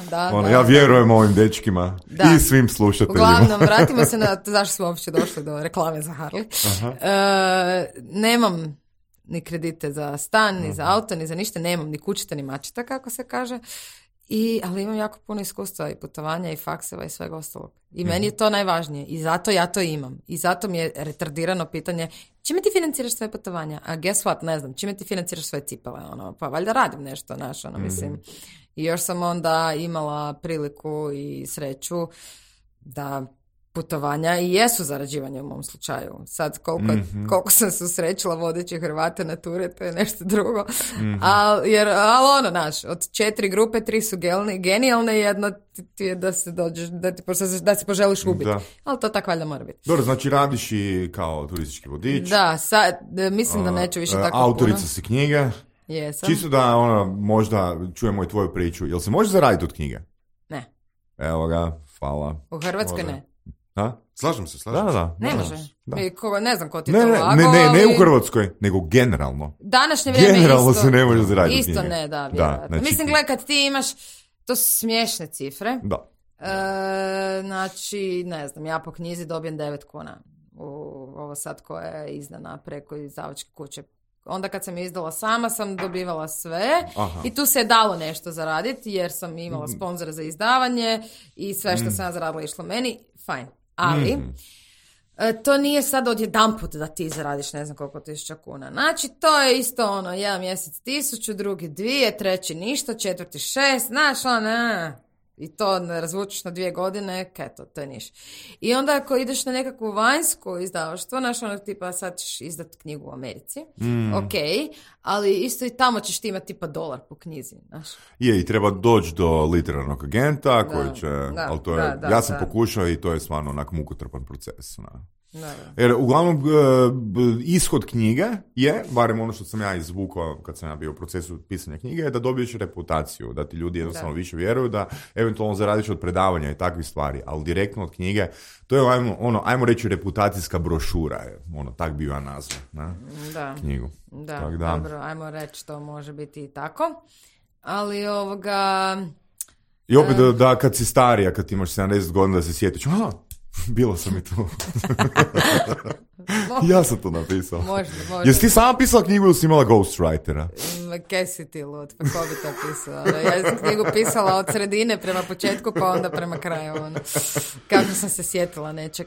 ja vjerujem ovim dečkima i svim slušateljima. Uglavnom, vratimo se na zašto smo uopće došli do reklame za Harley. Nemam ni kredite za stan, ni za auto, ni za ništa, nemam ni kućita, ni mačita, kako se kaže. Ali imam jako puno iskustva i putovanja i fakseva i svega ostalog. I meni je to najvažnije. I zato ja to imam. I zato mi je retardirano pitanje čime ti financiraš svoje putovanja? A guess what, ne znam. Čime ti financiraš svoje cipele? Pa valjda radim nešto, mislim. I još sam onda imala priliku i sreću da putovanja i jesu zarađivanje u mom slučaju. Sad koliko sam se usrećila vodeći Hrvate na ture, to je nešto drugo. Ali od 4 grupe 3 su genijalne i jedna ti je da se dođeš, da se poželiš ubiti. Ali to tako valjda mora biti. Dobro, znači radiš i kao turistički vodič. Da, sad mislim da neću više tako autorica puno. Si knjige. Jesam. Čisto da možda čujemo i tvoju priču. Jel se može zaraditi od knjige? Ne. Evo ga, hvala. U Hrvatskoj ne. Slažem se. Da. Ne može. Ne znam ko ti to lagao. Ne u Hrvatskoj, nego generalno. Današnje vrijeme generalno isto. Se ne može zaraditi isto knjige. Ne, da, vjerojatno. Znači, mislim, gledaj, kad ti imaš, to su smiješne cifre. Da. Znači, ne znam, ja po knjizi dobijem 9 kuna. Ovo sad koja je izdana preko izdavačke kuće. Onda kad sam izdala sama sam dobivala sve. I tu se je dalo nešto zaraditi jer sam imala sponzora za izdavanje i sve što sam ja zaradila išlo meni. Fajn. Ali to nije sad odjedanput da ti zaradiš ne znam koliko tisuća kuna. Znači to je isto jedan mjesec 1000, drugi 2, treći ništa, četvrti 6, znaš i to razvučeš na 2 godine, to je niš. I onda ako ideš na nekakvu vanjsku izdavaštvo, znaš tipa sad ćeš izdati knjigu u Americi, ok, ali isto i tamo ćeš ti imati tipa $1 po knjizi, znaš. I treba doći do literarnog agenta koji će, ali to je, ja sam pokušao i to je stvarno onak mukotrpan proces, Jer uglavnom ishod knjige je, barem ono što sam ja izvukao kad sam ja bio u procesu pisanja knjige, je da dobiješ reputaciju, da ti ljudi jednostavno više vjeruju, da eventualno zaradiš od predavanja i takvih stvari, ali direktno od knjige, to je ajmo reći reputacijska brošura, tak bi ja nazvao, knjigu. Da, dobro, ajmo reći to može biti i tako, ali I opet da kad si starija, kad imaš 70 godina da se sjetiš, bila sam i tu. Ja sam to napisao. Možda. Jesi ti sama pisala knjigu ili si imala ghostwritera? Kaj si ti lud, pa ko bi to pisao? Ja sam knjigu pisala od sredine prema početku pa onda prema kraju. Kako sam se sjetila nečeg.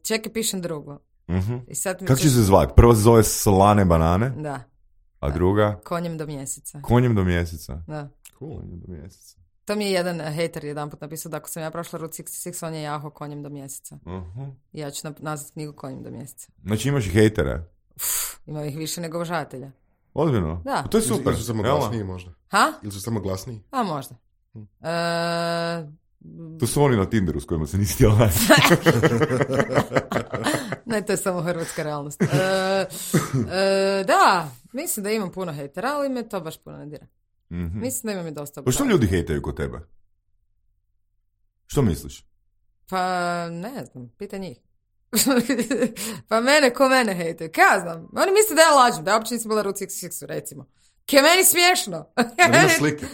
Čekaj, pišem drugo. Kako će se zvati? Prva se zove Slane banane? Da. A druga? Konjem do mjeseca. Konjem do mjeseca. Da. Konjem do mjeseca. To mi je jedan hater jedanput napisao da ako sam ja prošla Route 66, on je jaho konjem do mjeseca. I ja ću nazvati knjigu Konjem do mjeseca. Znači imaš i hejtere? Ima ih više nego obožavatelja. Ozbiljno? Da. To je super. Ili su samo glasniji možda? Ha? Ili su samo glasniji? A možda. To su oni na Tinderu s kojima se nisi htjela naći. Ne, to je samo hrvatska realnost. Da, mislim da imam puno hejtera, ali me to baš puno ne dira. Mm-hmm. Mislim da imam i dosta. Pa što ljudi hejtaju kod tebe? Što misliš? Pa ne znam, pita njih. Pa ko mene hejtaju? Kaj ja znam? Oni misle da ja lažem, da ja uopće nisam bila Route 66, recimo. Kaj meni smiješno. Imaš slike?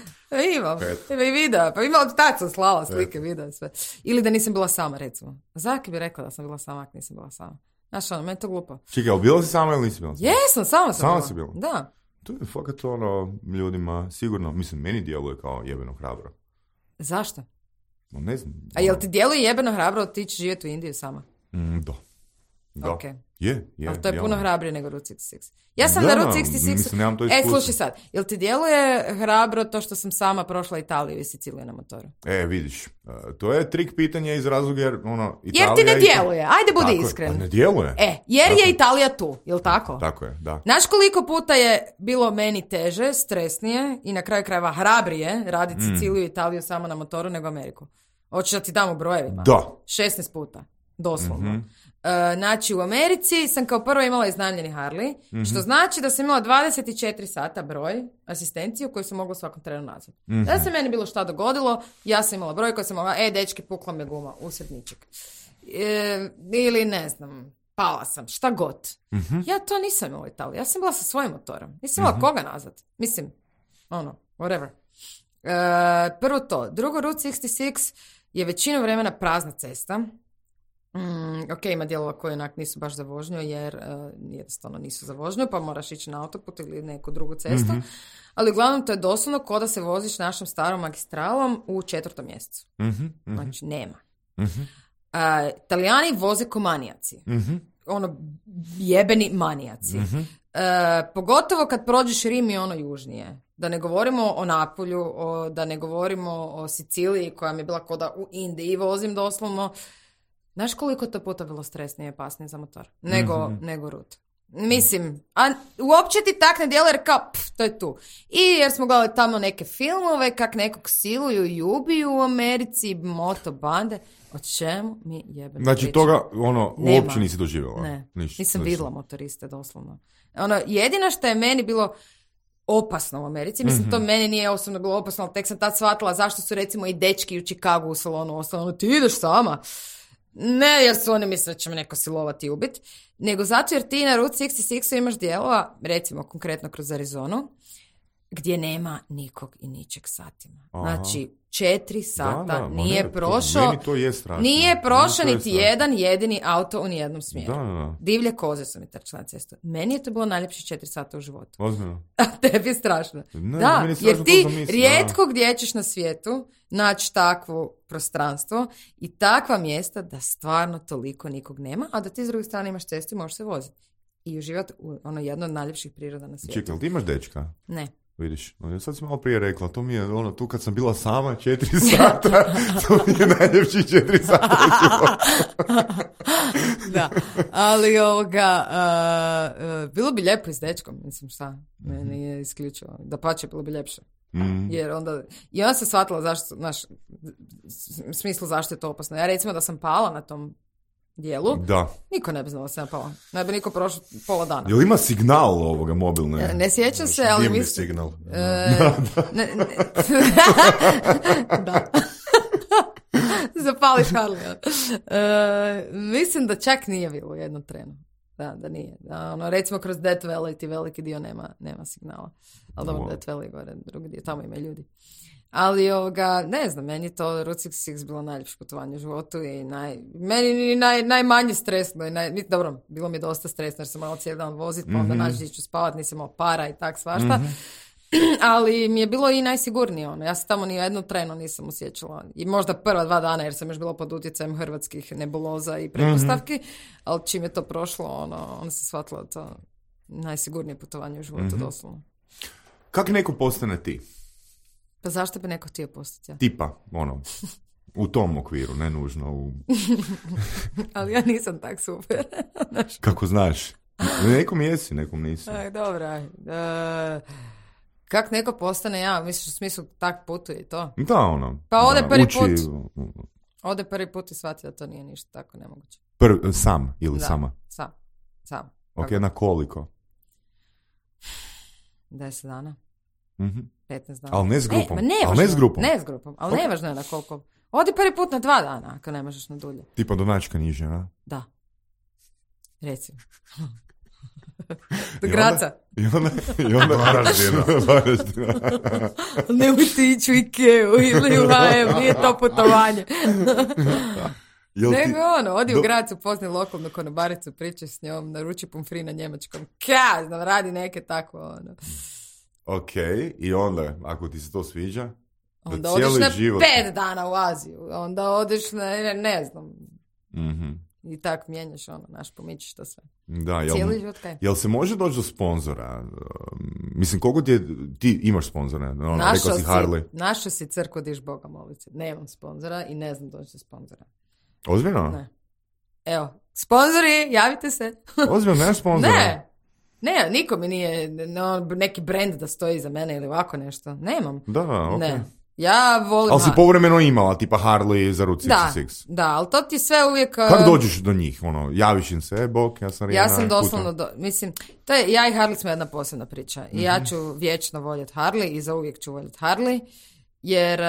Imam. Ima i videa. Pa imala tad sam slala slike, videa, sve. Ili da nisam bila sama, recimo. Zaki bi rekla da sam bila sama, ako nisam bila sama. Znaš, meni je to glupo. Čekaj, bila si sama ili nisi bila sama? Jesam, sama sama bila. Si bila? Da. To je fakat ljudima sigurno, mislim, meni djeluje kao jebeno hrabro. Zašto? No, ne znam. A jel ti djeluje jebeno hrabro otići živjeti u Indiju sama? Da. Okay. Je. Ali to je puno hrabrije nego Route 66. Ja sam na Route 66... Mislim, nemam to iskustvo. Slušaj sad, jel ti djeluje hrabro to što sam sama prošla Italiju i Siciliju na motoru? Vidiš, to je trik pitanje iz razloga jer Italija... Jer ti ne djeluje, ajde budi iskren. Ne djeluje. Jer tako. Je Italija tu, jel tako? Tako je, da. Znaš koliko puta je bilo meni teže, stresnije i na kraju krajeva hrabrije raditi Siciliju i Italiju samo na motoru nego Ameriku? Hoćeš da ti dam u brojevima? Da. 16 puta, doslovno. Znači u Americi sam kao prvo imala iznajmljeni Harley, što znači da sam imala 24 sata broj asistenciju koju sam mogla svakom trenu nazvati. Da se meni bilo šta dogodilo, ja sam imala broj koji sam mogla, dečki, pukla me guma, usred ničeg. Ili ne znam, pala sam, šta god. Ja to nisam imala u Italiji, ja sam bila sa svojim motorom. Nisam imala koga nazvati. Mislim, whatever. Prvo to. Drugo, Route 66 je većinu vremena prazna cesta. Ok, ima dijelova koji onak nisu baš za vožnju jer jednostavno nisu za vožnju, pa moraš ići na autoput ili neku drugu cestu. Ali uglavnom to je doslovno ko da se voziš našom starom magistralom u 4. mjesecu. Znači nema. Italijani voze ko manijaci. Jebeni manijaci. Pogotovo kad prođeš Rim i južnije. Da ne govorimo o Napolju, da ne govorimo o Siciliji koja mi je bila koda u Indiji vozim doslovno. Znaš koliko to puta bilo stresnije i opasnije za motor? Nego Route. Mislim, a uopće ti tak ne djeluje jer kao, to je tu. I jer smo gledali tamo neke filmove, kak nekog siluju i ubiju u Americi, motobande. O čemu mi jebeno znači priča? Toga, uopće nisi doživjela? Ne, nisam vidjela motoriste, doslovno. Jedino što je meni bilo opasno u Americi, mislim, to meni nije osobno bilo opasno, ali tek sam tad shvatila zašto su recimo i dečki u Chicagu u salonu ostalo, ti ideš sama. Ne jer su oni misle da će me neko silovati i ubiti, nego zato jer ti na Route 66 imaš dijelova, recimo konkretno kroz Arizonu, gdje nema nikog i ničeg satima. Znači, 4 sata nije prošao, nije prošao niti jedan jedini auto u nijednom smjeru. Divlje koze su mi trčale na cestu. Meni je to bilo najljepše 4 sata u životu. Ozbiljno. A tebi je strašno. Da, jer ti rijetko gdje ćeš na svijetu naći takvo prostranstvo i takva mjesta da stvarno toliko nikog nema, a da ti s druge strane imaš cestu i možeš se voziti. I uživati u jedno od najljepših priroda na svijetu. Čekaj, ti imaš dečka? Ne. Vidiš, sad si malo prije rekla, to mi je tu kad sam bila sama 4 sata, to mi je najljepši 4 sata u životu. Da, ali bilo bi lijepo i s dečkom, mislim šta, meni je isključivo, da pače bilo bi ljepše. Jer onda, i onda se shvatila zašto, u smislu zašto je to opasno. Ja recimo da sam pala na tom dijelu, niko ne bi znao da sam pala. Ne bi niko prošao pola dana. Jel ima signal ovoga mobilne? Ne sjećam se, ali dimni signal. Da. Zapališ Harley. Mislim da čak nije bilo u jednom trenu. Da nije. Recimo kroz Death Valley ti veliki dio nema signala. Ali dobro, Death Valley gore, drugi dio, tamo ima ljudi. Ali ne znam, meni je to Route 66 bilo najljepše putovanje u životu i meni najmanje stresno. Dobro, bilo mi je dosta stresno jer sam morala cijeli dan voziti, pa onda naći ću spavat, nisam imala para i tak svašta. Ali mi je bilo i najsigurnije. Ja se tamo ni u jednu trenu nisam osjećala. I možda prva 2 dana jer sam još bila pod utjecajem hrvatskih nebuloza i pretpostavki, ali čim je to prošlo, onda se shvatila to najsigurnije putovanje u životu, doslovno. Kako neko postane ti? Pa zašto bi neko htio postati ja? Tipa, u tom okviru, ne nužno u... Ali ja nisam tak super. Kako znaš? Nekom jesi, nekom nisi. Dobro. Kak neko postane ja, misliš u smislu tak putuje i to? Da, ono. Pa ode da, prvi uči, put. Ode prvi put i shvati da to nije ništa tako nemoguće. Sam ili sama? Sam. Ok, na koliko? 10 dana. 15 dana. Ali ne s grupom. Ne s grupom, ali nevažno je na koliko. Odi prvi put na 2 dana, ako ne možeš na dulje. Tipa do Načka niže, a? Da. Recimo. Do Graca. I onda Varaždina. Nemojte ići u Ikeu ili u H&M, nije to putovanje. Nego odi u Grac, upoznaj lokalnu konobaricu, pričaj s njom, naruči pomfri na njemačkom. Znam, radi neke tako, ono. Ok, i onda, ako ti se to sviđa, onda odeš na život... 5 dana u Aziju, onda odeš na, ne znam, i tako mijenjaš, pomičiš to sve. Da, jel se može doći do sponzora? Mislim, koliko ti imaš sponzora? Rekao si Harley. Našao si crkvu diš Boga molice. Nemam sponzora i ne znam doći do sponzora. Ozbiljno? Ne. Evo, sponzori, javite se. Ozbiljno, nemaš sponzora? Ne, niko mi nije neki brand da stoji za mene ili ovako nešto. Nemam. Da, ok. Ne. Ja volim... Ali si povremeno imala, tipa Harley za Route 66. Da, ali to ti sve uvijek... Kako dođeš do njih? Javiš im se, bok, ja sam Rijana. Ja sam doslovno, mislim, ja i Harley smo jedna posebna priča. I ja ću vječno voljeti Harley i zauvijek ću voljeti Harley, jer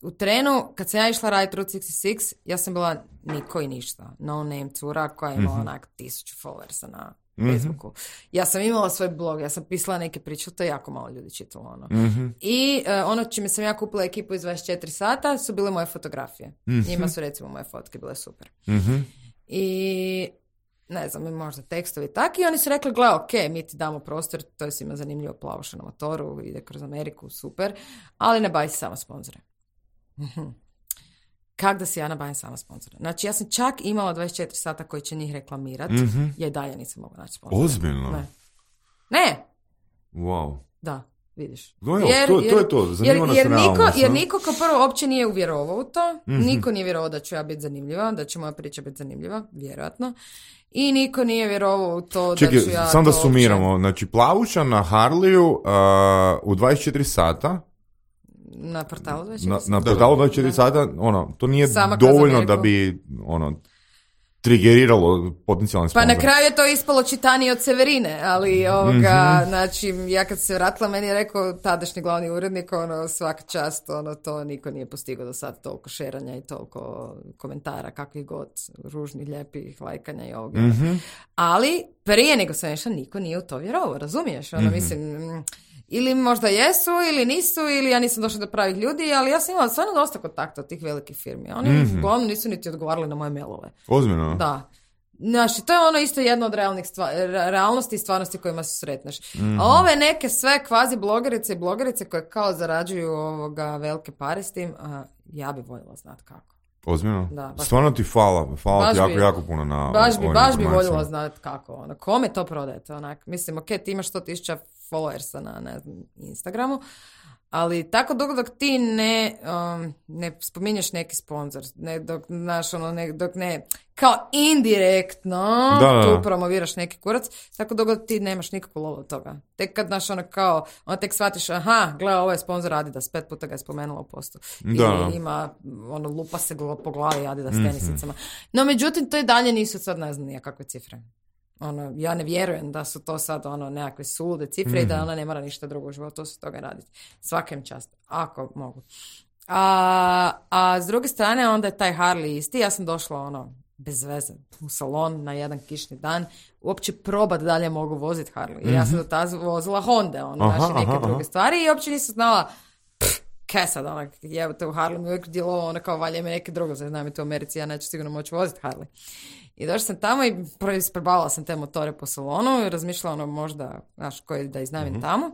u trenu, kad sam ja išla raditi Route 66, ja sam bila niko i ništa. No name cura koja je imala onak 1000 followersa na Facebooku. Ja sam imala svoj blog, ja sam pisala neke priče, to je jako malo ljudi čitalo. I ono čime sam ja kupila ekipu iz 24 sata su bile moje fotografije. Njima su recimo moje fotke bile super. I ne znam, možda tekstovi tako i oni su rekli, gle, ok, mi ti damo prostor, to je svima zanimljivo, plavoša na motoru, ide kroz Ameriku, super, ali ne bavi se samo sponzore. Kak da si ja nabavim sama sponzora? Znači, ja sam čak imala 24 sata koji će njih reklamirati, ja i dalje nisam mogla naći sponzora. Ozbiljno? Ne. Wow. Da, vidiš. To je to, zanima nas realnost. Jer niko kao prvo uopće nije uvjerovao u to, niko nije vjerovao da ću ja biti zanimljiva, da će moja priča biti zanimljiva, vjerojatno. I niko nije vjerovao u to da ću ja... Čekaj, sam da sumiramo. Znači, plavuša na Harleyu u 24 sata... Na portalu 24 sata. Na portalu 24 sata, to nije dovoljno da bi, trigeriralo potencijalne sponzore. Pa na kraju je to ispalo čitanije od Severine, ali znači, ja kad se vratila, meni je rekao tadašnji glavni urednik, svaka čast, to niko nije postigao do sad, toliko šeranja i toliko komentara, kakvih god, ružnih, lijepih, lajkanja i ovoga. Ali, prije nego sam išla, niko nije u to vjerovao, razumiješ? Mislim... Ili možda jesu, ili nisu, ili ja nisam došla do pravih ljudi, ali ja sam imala stvarno dosta kontakta od tih velikih firmi. Oni uglavnom nisu niti odgovarali na moje mailove. Ozbiljno? Da. Znači, to je isto jedna od realnosti i stvarnosti kojima se sretneš. A ove neke sve kvazi blogerice i blogerice koje kao zarađuju velike pare s tim, ja bi voljela znati kako. Ozbiljno? Da, stvarno ti hvala ti jako puno na baš bi voljela znati kako. Kome to prodajete? Mislim, ok, ti imaš 100,000 followersa na, ne znam, Instagramu, ali tako dugo dok ti ne spominješ neki sponsor, dok ne kao indirektno tu promoviraš neki kurac, tako dugo ti nemaš nikakvu lovu od toga. Tek kad tek shvatiš, gle, ovo je sponsor Adidas, 5 puta ga je spomenula u postu. Ili ima, lupa se po glavi Adidas tenisicama. No, međutim, to i dalje nisu sad, ne znam, nijakakve cifre. Ja ne vjerujem da su to sad nekakve sulude cifre i da ona ne mora ništa drugo u životu s toga raditi. Svaka im čast, ako mogu. A s druge strane, onda je taj Harley isti. Ja sam došla bez veze u salon na jedan kišni dan, uopće probat dalje mogu voziti Harley. Ja sam do tada vozila Honda, neke druge stvari i uopće nisam znala kaj sad, jebate u Harley mi uvijek djelovao, kao valje me neke drugo, znam i to u Americi, ja neću sigurno moći voziti Harley. I došla sam tamo i isprebavala sam te motore po salonu i razmišljala možda, koji da iznajmim tamo.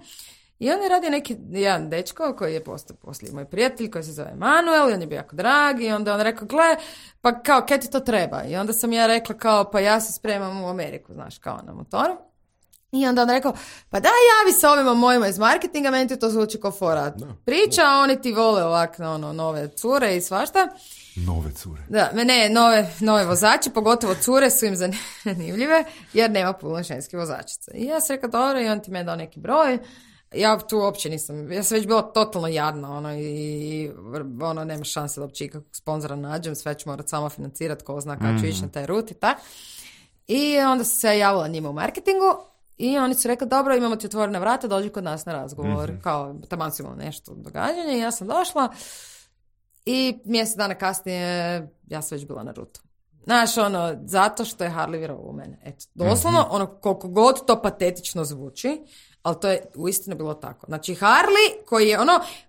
I on je radio jedan dečko koji je postao poslije moj prijatelj, koji se zove Emanuel i on je bio jako drag i onda on rekao, gle, pa kao, kaj ti to treba? I onda sam ja rekla kao, pa ja se spremam u Ameriku, kao na motoru. I onda on rekao, pa da, javi se ovima mojima iz marketinga, meni ti to zvuči kao fora priča, oni ti vole ovak nove cure i svašta. Nove cure. Da, nove vozači, pogotovo cure su im zanimljive, jer nema puno ženskih vozačica. I ja sam rekao, dobro, i on ti me dao neki broj. ja tu uopće nisam, ja sam već bila totalno jadna, i nema šanse da uopće ikakvog sponzora nađem, sve ću morat samo financirati, ko zna kada ću ići na taj rut i tak. I onda sam se javila njima u marketingu i oni su rekli, dobro, imamo ti otvorena vrata, dođi kod nas na razgovor, kao taman su imali nešto događanje i ja sam došla i mjesec dana kasnije ja sam već bila na rutu. Znaš, zato što je Harley vjerovao u mene. Eto, doslovno, koliko god to patetično zvuči, ali to je uistinu bilo tako. Znači, Harley, koji je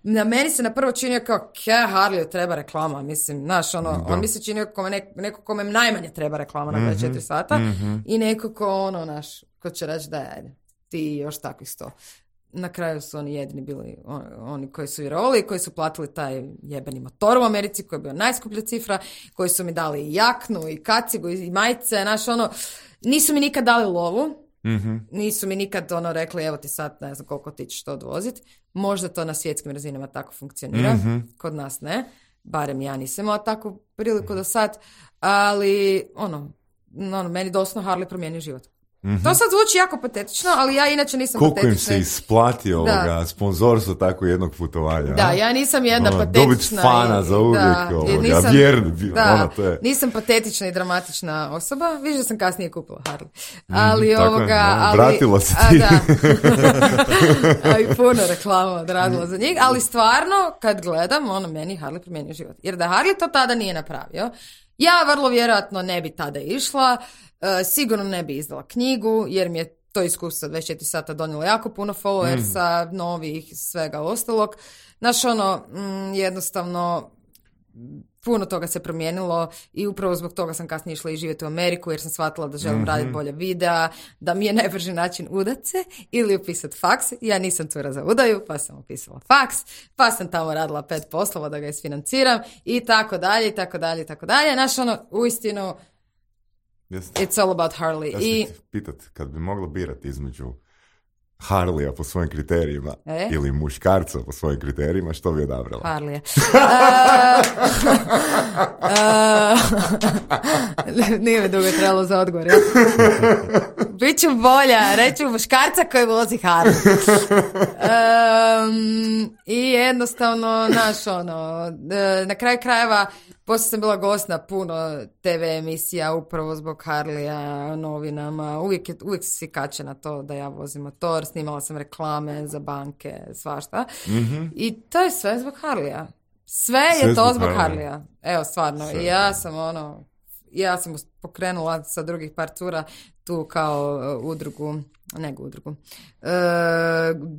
na meni se na prvo činio kao, Harley treba reklama, mislim, znaš, on mi se činio kao neko kome najmanje treba reklama na 24 sata i neko ko će reći da ajde, ti još takvih 100. Na kraju su oni jedini bili oni koji su vjerovali, koji su platili taj jebeni motor u Americi, koji je bio najskuplja cifra, koji su mi dali i jaknu, i kacigu, i majice, znaš, nisu mi nikad dali lovu, nisu mi nikad rekli, evo ti sad, ne znam koliko ti ćeš to odvoziti. Možda to na svjetskim razinama tako funkcionira, kod nas ne, barem ja nisam imala takvu priliku do sad, ali meni doslovno Harley promijenio život. To sad zvuči jako patetično, ali ja inače nisam patetična. Koliko im se isplati sponzorstvo tako jednog putovanja. Da, ja nisam jedna patetična. Dobit fana za uvijek. Nisam patetična i dramatična osoba. Viš da sam kasnije kupila Harley. Ali vratila se ti. I puno reklama odradila za njih. Ali stvarno, kad gledam, meni Harley promijenio život. Jer da Harley to tada nije napravio, ja vrlo vjerojatno ne bi tada išla, sigurno ne bi izdala knjigu, jer mi je to iskustvo 24 sata donijelo jako puno followersa, novih, svega ostalog. Znaš, jednostavno, puno toga se promijenilo i upravo zbog toga sam kasnije išla i živjeti u Ameriku, jer sam shvatila da želim raditi bolje videa, da mi je najbrži način udat se ili upisati faks. Ja nisam cura za udaju, pa sam upisala faks, pa sam tamo radila 5 poslova da ga isfinanciram i tako dalje, i tako dalje, i tako dalje. Znaš, uistinu, it's all about Harley. Ja sam ti pitat, kad bi mogla birati između Harleya po svojim kriterijima ili muškarca po svojim kriterijima, što bi odabrala? Harleya. Nije mi dugo trebalo za odgovor. Ja? Biću bolja, reću muškarca koji vozi Harley. I jednostavno, na kraju krajeva, poslije sam bila gost na puno TV emisija upravo zbog Harleya, novinama. Uvijek si kače na to da ja vozim motor, snimala sam reklame za banke, svašta. I to je sve zbog Harleya. Sve je to zbog Harleya. Evo, stvarno. I ja sam pokrenula sa drugih par cura tu kao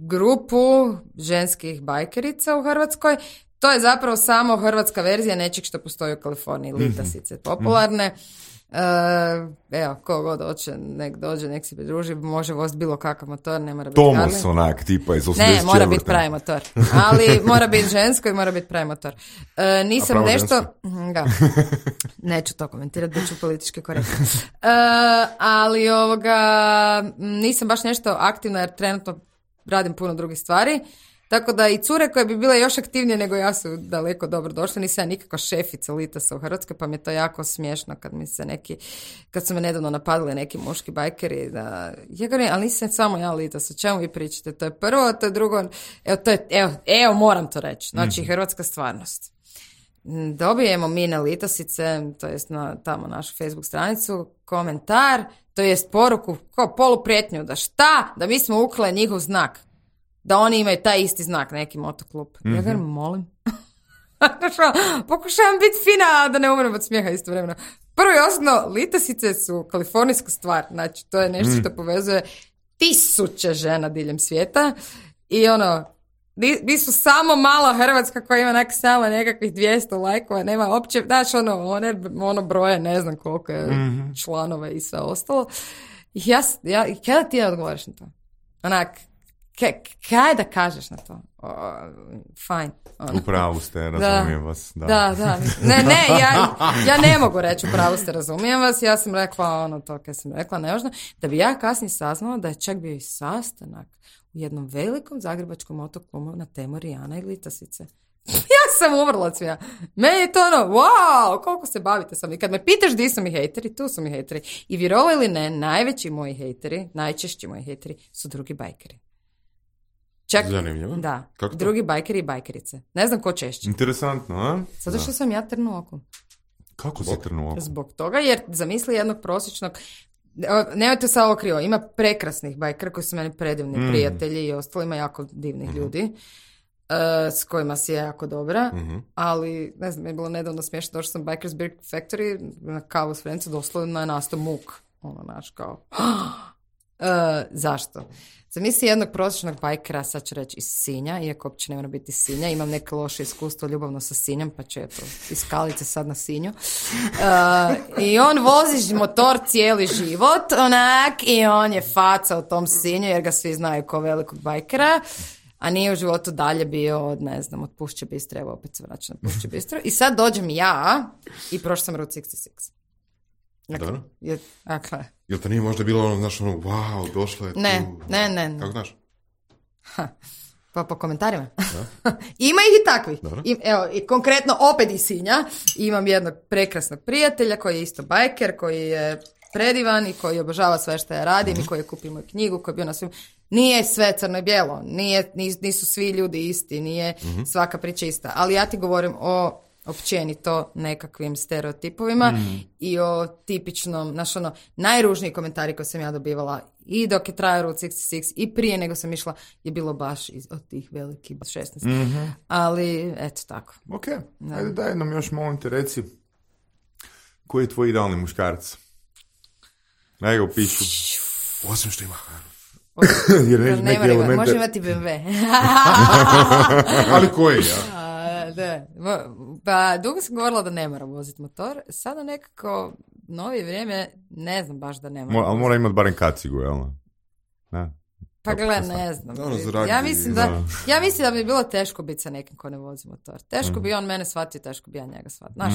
grupu ženskih bajkerica u Hrvatskoj. To je zapravo samo hrvatska verzija nečeg što postoji u Kaliforniji, litasice popularne. Evo, ko god hoće, nek dođe, nek se pridruži, može voziti bilo kakav motor, ne mora biti Thomas onak, tipa iz 84. Ne, mora biti pravi motor, ali mora biti žensko i mora biti pravi motor. Nisam nešto... Neću to komentirati, bit ću politički korektna. Ali nisam baš nešto aktivna jer trenutno radim puno drugih stvari. Tako da i cure koje bi bile još aktivnije nego ja su daleko dobro došle. Nisam ja nikakva šefica litasa u Hrvatskoj, pa mi je to jako smiješno kad su me nedavno napadali neki muški bajkeri. Ali nisam samo ja litas, o čemu vi pričate? To je prvo, to je drugo. Evo, moram to reći. Znači, hrvatska stvarnost. Dobijemo mi na litasice, to jest na tamo našu Facebook stranicu, komentar, to jest poruku, kao poluprijetnju, da šta? Da mi smo ukle njihov znak. Da oni imaju taj isti znak, neki motoklub. Ja ga molim. Pokušavam biti fina, da ne umrem od smijeha istovremeno. Prvo i osnovno, litasice su kalifornijska stvar. Znači, to je nešto što povezuje 1000 žena diljem svijeta. I mi su samo mala Hrvatska koja ima samo nekakvih 200 lajkova, nema opće, znaš, ono broje, ne znam koliko je članova i sve ostalo. I kada ti je odgovoriš na to? Kaj da kažeš na to? Fajn. Upravo ste, razumijem vas. Da. Ja ne mogu reći upravo ste, razumijem vas. Ja sam rekla to kaj sam rekla, nevažno. Da bi ja kasnije saznala da je čak bio i sastanak u jednom velikom zagrebačkom motoklubu na temu Rijana i litasice. Ja sam umrla od svija. Meni je to wow, koliko se bavite sam. I kad me pitaš gdje su mi hejteri, tu su mi hejteri. I vjerovali ili ne, najveći moji hejteri, najčešći moji hejteri su drugi bajkeri. Čak, zanimljivo. da. Kako to? Drugi bajkeri i bajkerice. Ne znam ko češće. Interesantno, a? Zato što sam ja trnu oko. Kako si trnu oko? Zbog toga, jer zamisli jednog prosječnog... Nemojte sad ovo krivo, ima prekrasnih bajkera koji su meni predivni prijatelji i ostalo, ima jako divnih ljudi s kojima si je jako dobra, ali ne znam, je bilo nedavno smiješno, došla sam Bikers Beer Factory na kavu s Frencu, doslovno je nastao muk. Ono, naš, kao... Zašto? Zamisli jednog prosječnog bajkera, sad ću reći iz Sinja, iako uopće ne mora biti iz Sinja, imam neke loše iskustvo ljubavno sa Sinjom, pa ću eto iz Skalice sad na Sinju. I on vozi motor cijeli život, onak, i on je faca u tom Sinju, jer ga svi znaju kao velikog bajkera, a nije u životu dalje bio od, ne znam, od Pušće Bistre, evo opet se vraćam na Pušće Bistru. I sad dođem ja i prošla sam Route 66. Dobro. Dakle, Jel to nije možda bilo ono, znaš, ono, wow, došlo je tu? Ne. Kako znaš? Pa po komentarima. Ima ih i takvih. Evo, i konkretno opet iz Sinja imam jednog prekrasnog prijatelja koji je isto bajker, koji je predivan i koji obožava sve što ja radim i koji je kupio moju knjigu, koji je bio na svim... Nije sve crno i bijelo, nisu svi ljudi isti, nije svaka priča ista, ali ja ti govorim o općenito nekakvim stereotipovima i o tipičnom, znaš ono, najružniji komentari koje sam ja dobivala i dok je trajao Route 66 i prije nego sam išla je bilo baš od tih velikih 16. Ali, eto tako. Ok, ajde daj nam još molim te reci koji je tvoj idealni muškarac? Daj ga upišu. Osim što ima Jer neki elemente... Može imati BMW. Ali koji, ja? Da. Pa dugo sam govorila da ne mora voziti motor. Sada nekako novije vrijeme ne znam baš da ne mora. Ali mora imati barem kacigu, jel? Da. Pa gle, ne znam. Ja mislim da bi bilo teško biti sa nekim ko ne vozi motor. Teško bi on mene shvatio, teško bi ja njega shvatio. Znaš,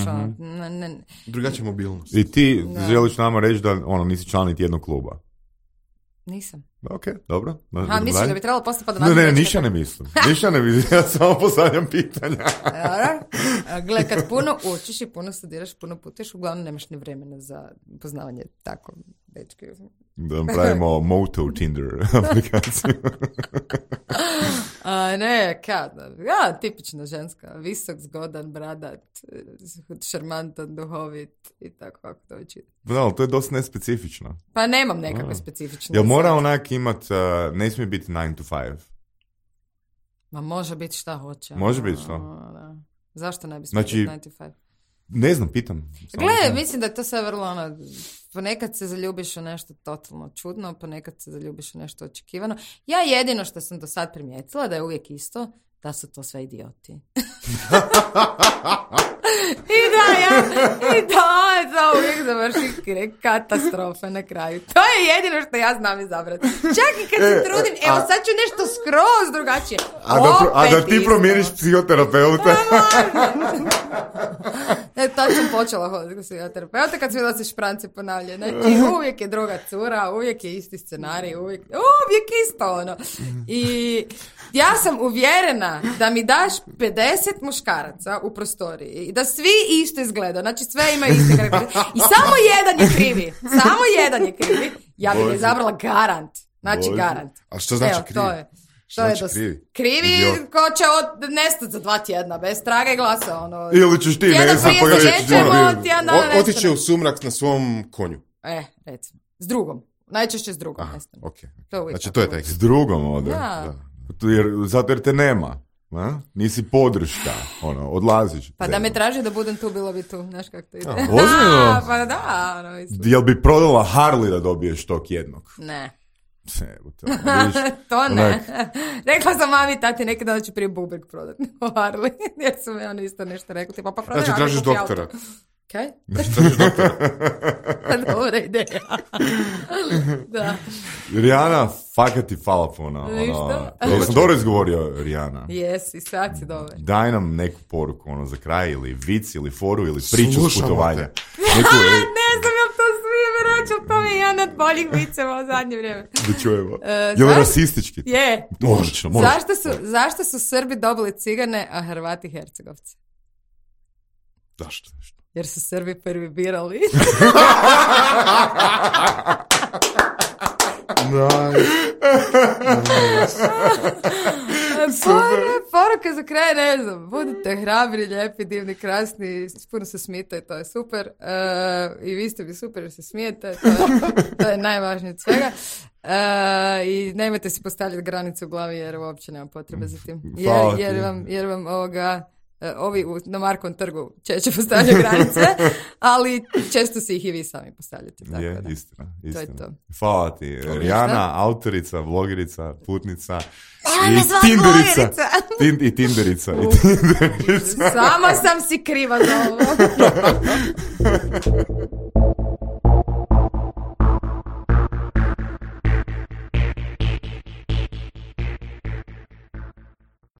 Drugačija mobilnost. I ti želiš nama reći da nisi član niti jednog kluba? Nisam. Ok, dobro. Misliš da bi trebalo postati pa da Ne, ništa ne mislim. Ja samo postavljam pitanja. Gle, kad puno učiš i puno studiraš, puno putuješ, uglavnom nemaš ni vremena za poznavanje tako dečke. Da pravimo Moto Tinder aplikaciju. Tipična ženska. Visok, zgodan, bradat, šarmantan, duhovit i tako kako to već ide. Da, ali to je dosta nespecifično. Pa nemam nekakve specifične. Jel mora onak imat, ne smije biti 9 to 5? Ma može biti šta hoće. Može biti šta? Da. Zašto ne bi smije biti 9 to 5? Ne znam, pitam. Gle, mislim da je to sve vrlo ponekad se zaljubiš u nešto totalno čudno, ponekad se zaljubiš u nešto očekivano. Ja jedino što sam do sad primijetila da je uvijek isto, da su to sve idioti. I da uvijek završi katastrofa na kraju. To je jedino što ja znam izabrati. Čak i kad se trudim, evo sad ću nešto skroz drugačije. A da ti promijeniš psihoterapeuta? Tad sam počela hoditi kod psihoterapeuta kad svi da se špranci ponavljaju. Znači, uvijek je druga cura, uvijek je isti scenarij, uvijek isto ono. I ja sam uvjerena da mi daš 50 muškaraca u prostoriji i da svi isto izgledaju, znači sve imaju iste karakteristike i samo jedan je krivi, ja bih ga izabrala garant, znači garant. A što znači krivi? To je krivi ko će nestati za 2 tjedna bez traga i glasa. Ono, ili ćeš ti otiće u sumrak na svom konju. Recimo. S drugom. Najčešće s drugom. Okay. Znači to je taj. S drugom ode. Da. Zato jer te nema. Nisi podrška. Odlaziš. Pa da me traži da budem tu, bilo bi tu. Znaš kako to ide. Ozbiljno? Pa da. Jel bi prodala Harley da dobiješ tog jednog? Ne. To ne. Rekla sam mami i tati neki dan da ću prije bubek prodati u Harley. Jer su mi oni isto nešto rekli. Tipa, pa prodaj. Znači tražiš doktora. Kaj? Tražiš doktora. Dobra ideja. Da. Rijana, fakat ti hvala puno. Sam dobro izgovorio, Rijana. Jesi, sad si dobro. Daj nam neku poruku za kraj, ili vic, ili foru, ili priču s putovanja. Ne znam jel to smijem reći, to mi je jedan od boljih viceva u zadnje vrijeme. Da čujemo. Je li rasistički? Je. Odlično. Zašto su Srbi dobili Cigane, a Hrvati Hercegovci? Zašto? Jer su Srbi prvi birali. Poruka za kraj, ne znam, budite hrabri, lijepi, divni, krasni, puno se smijete, to je super. I vi ste mi super jer se smijete, to je najvažnije od svega. I nemojte si postavljati granice u glavi jer uopće nema potrebe za tim. Jer vam ovi na Markovom trgu češće postavljaju granice, ali često si ih i vi sami postavljate. Tako je, da. istina. To je to. Hvala ti. Rijana, autorica, blogerica, putnica i tinderica. I tinderica. Sama sam si kriva za ovo.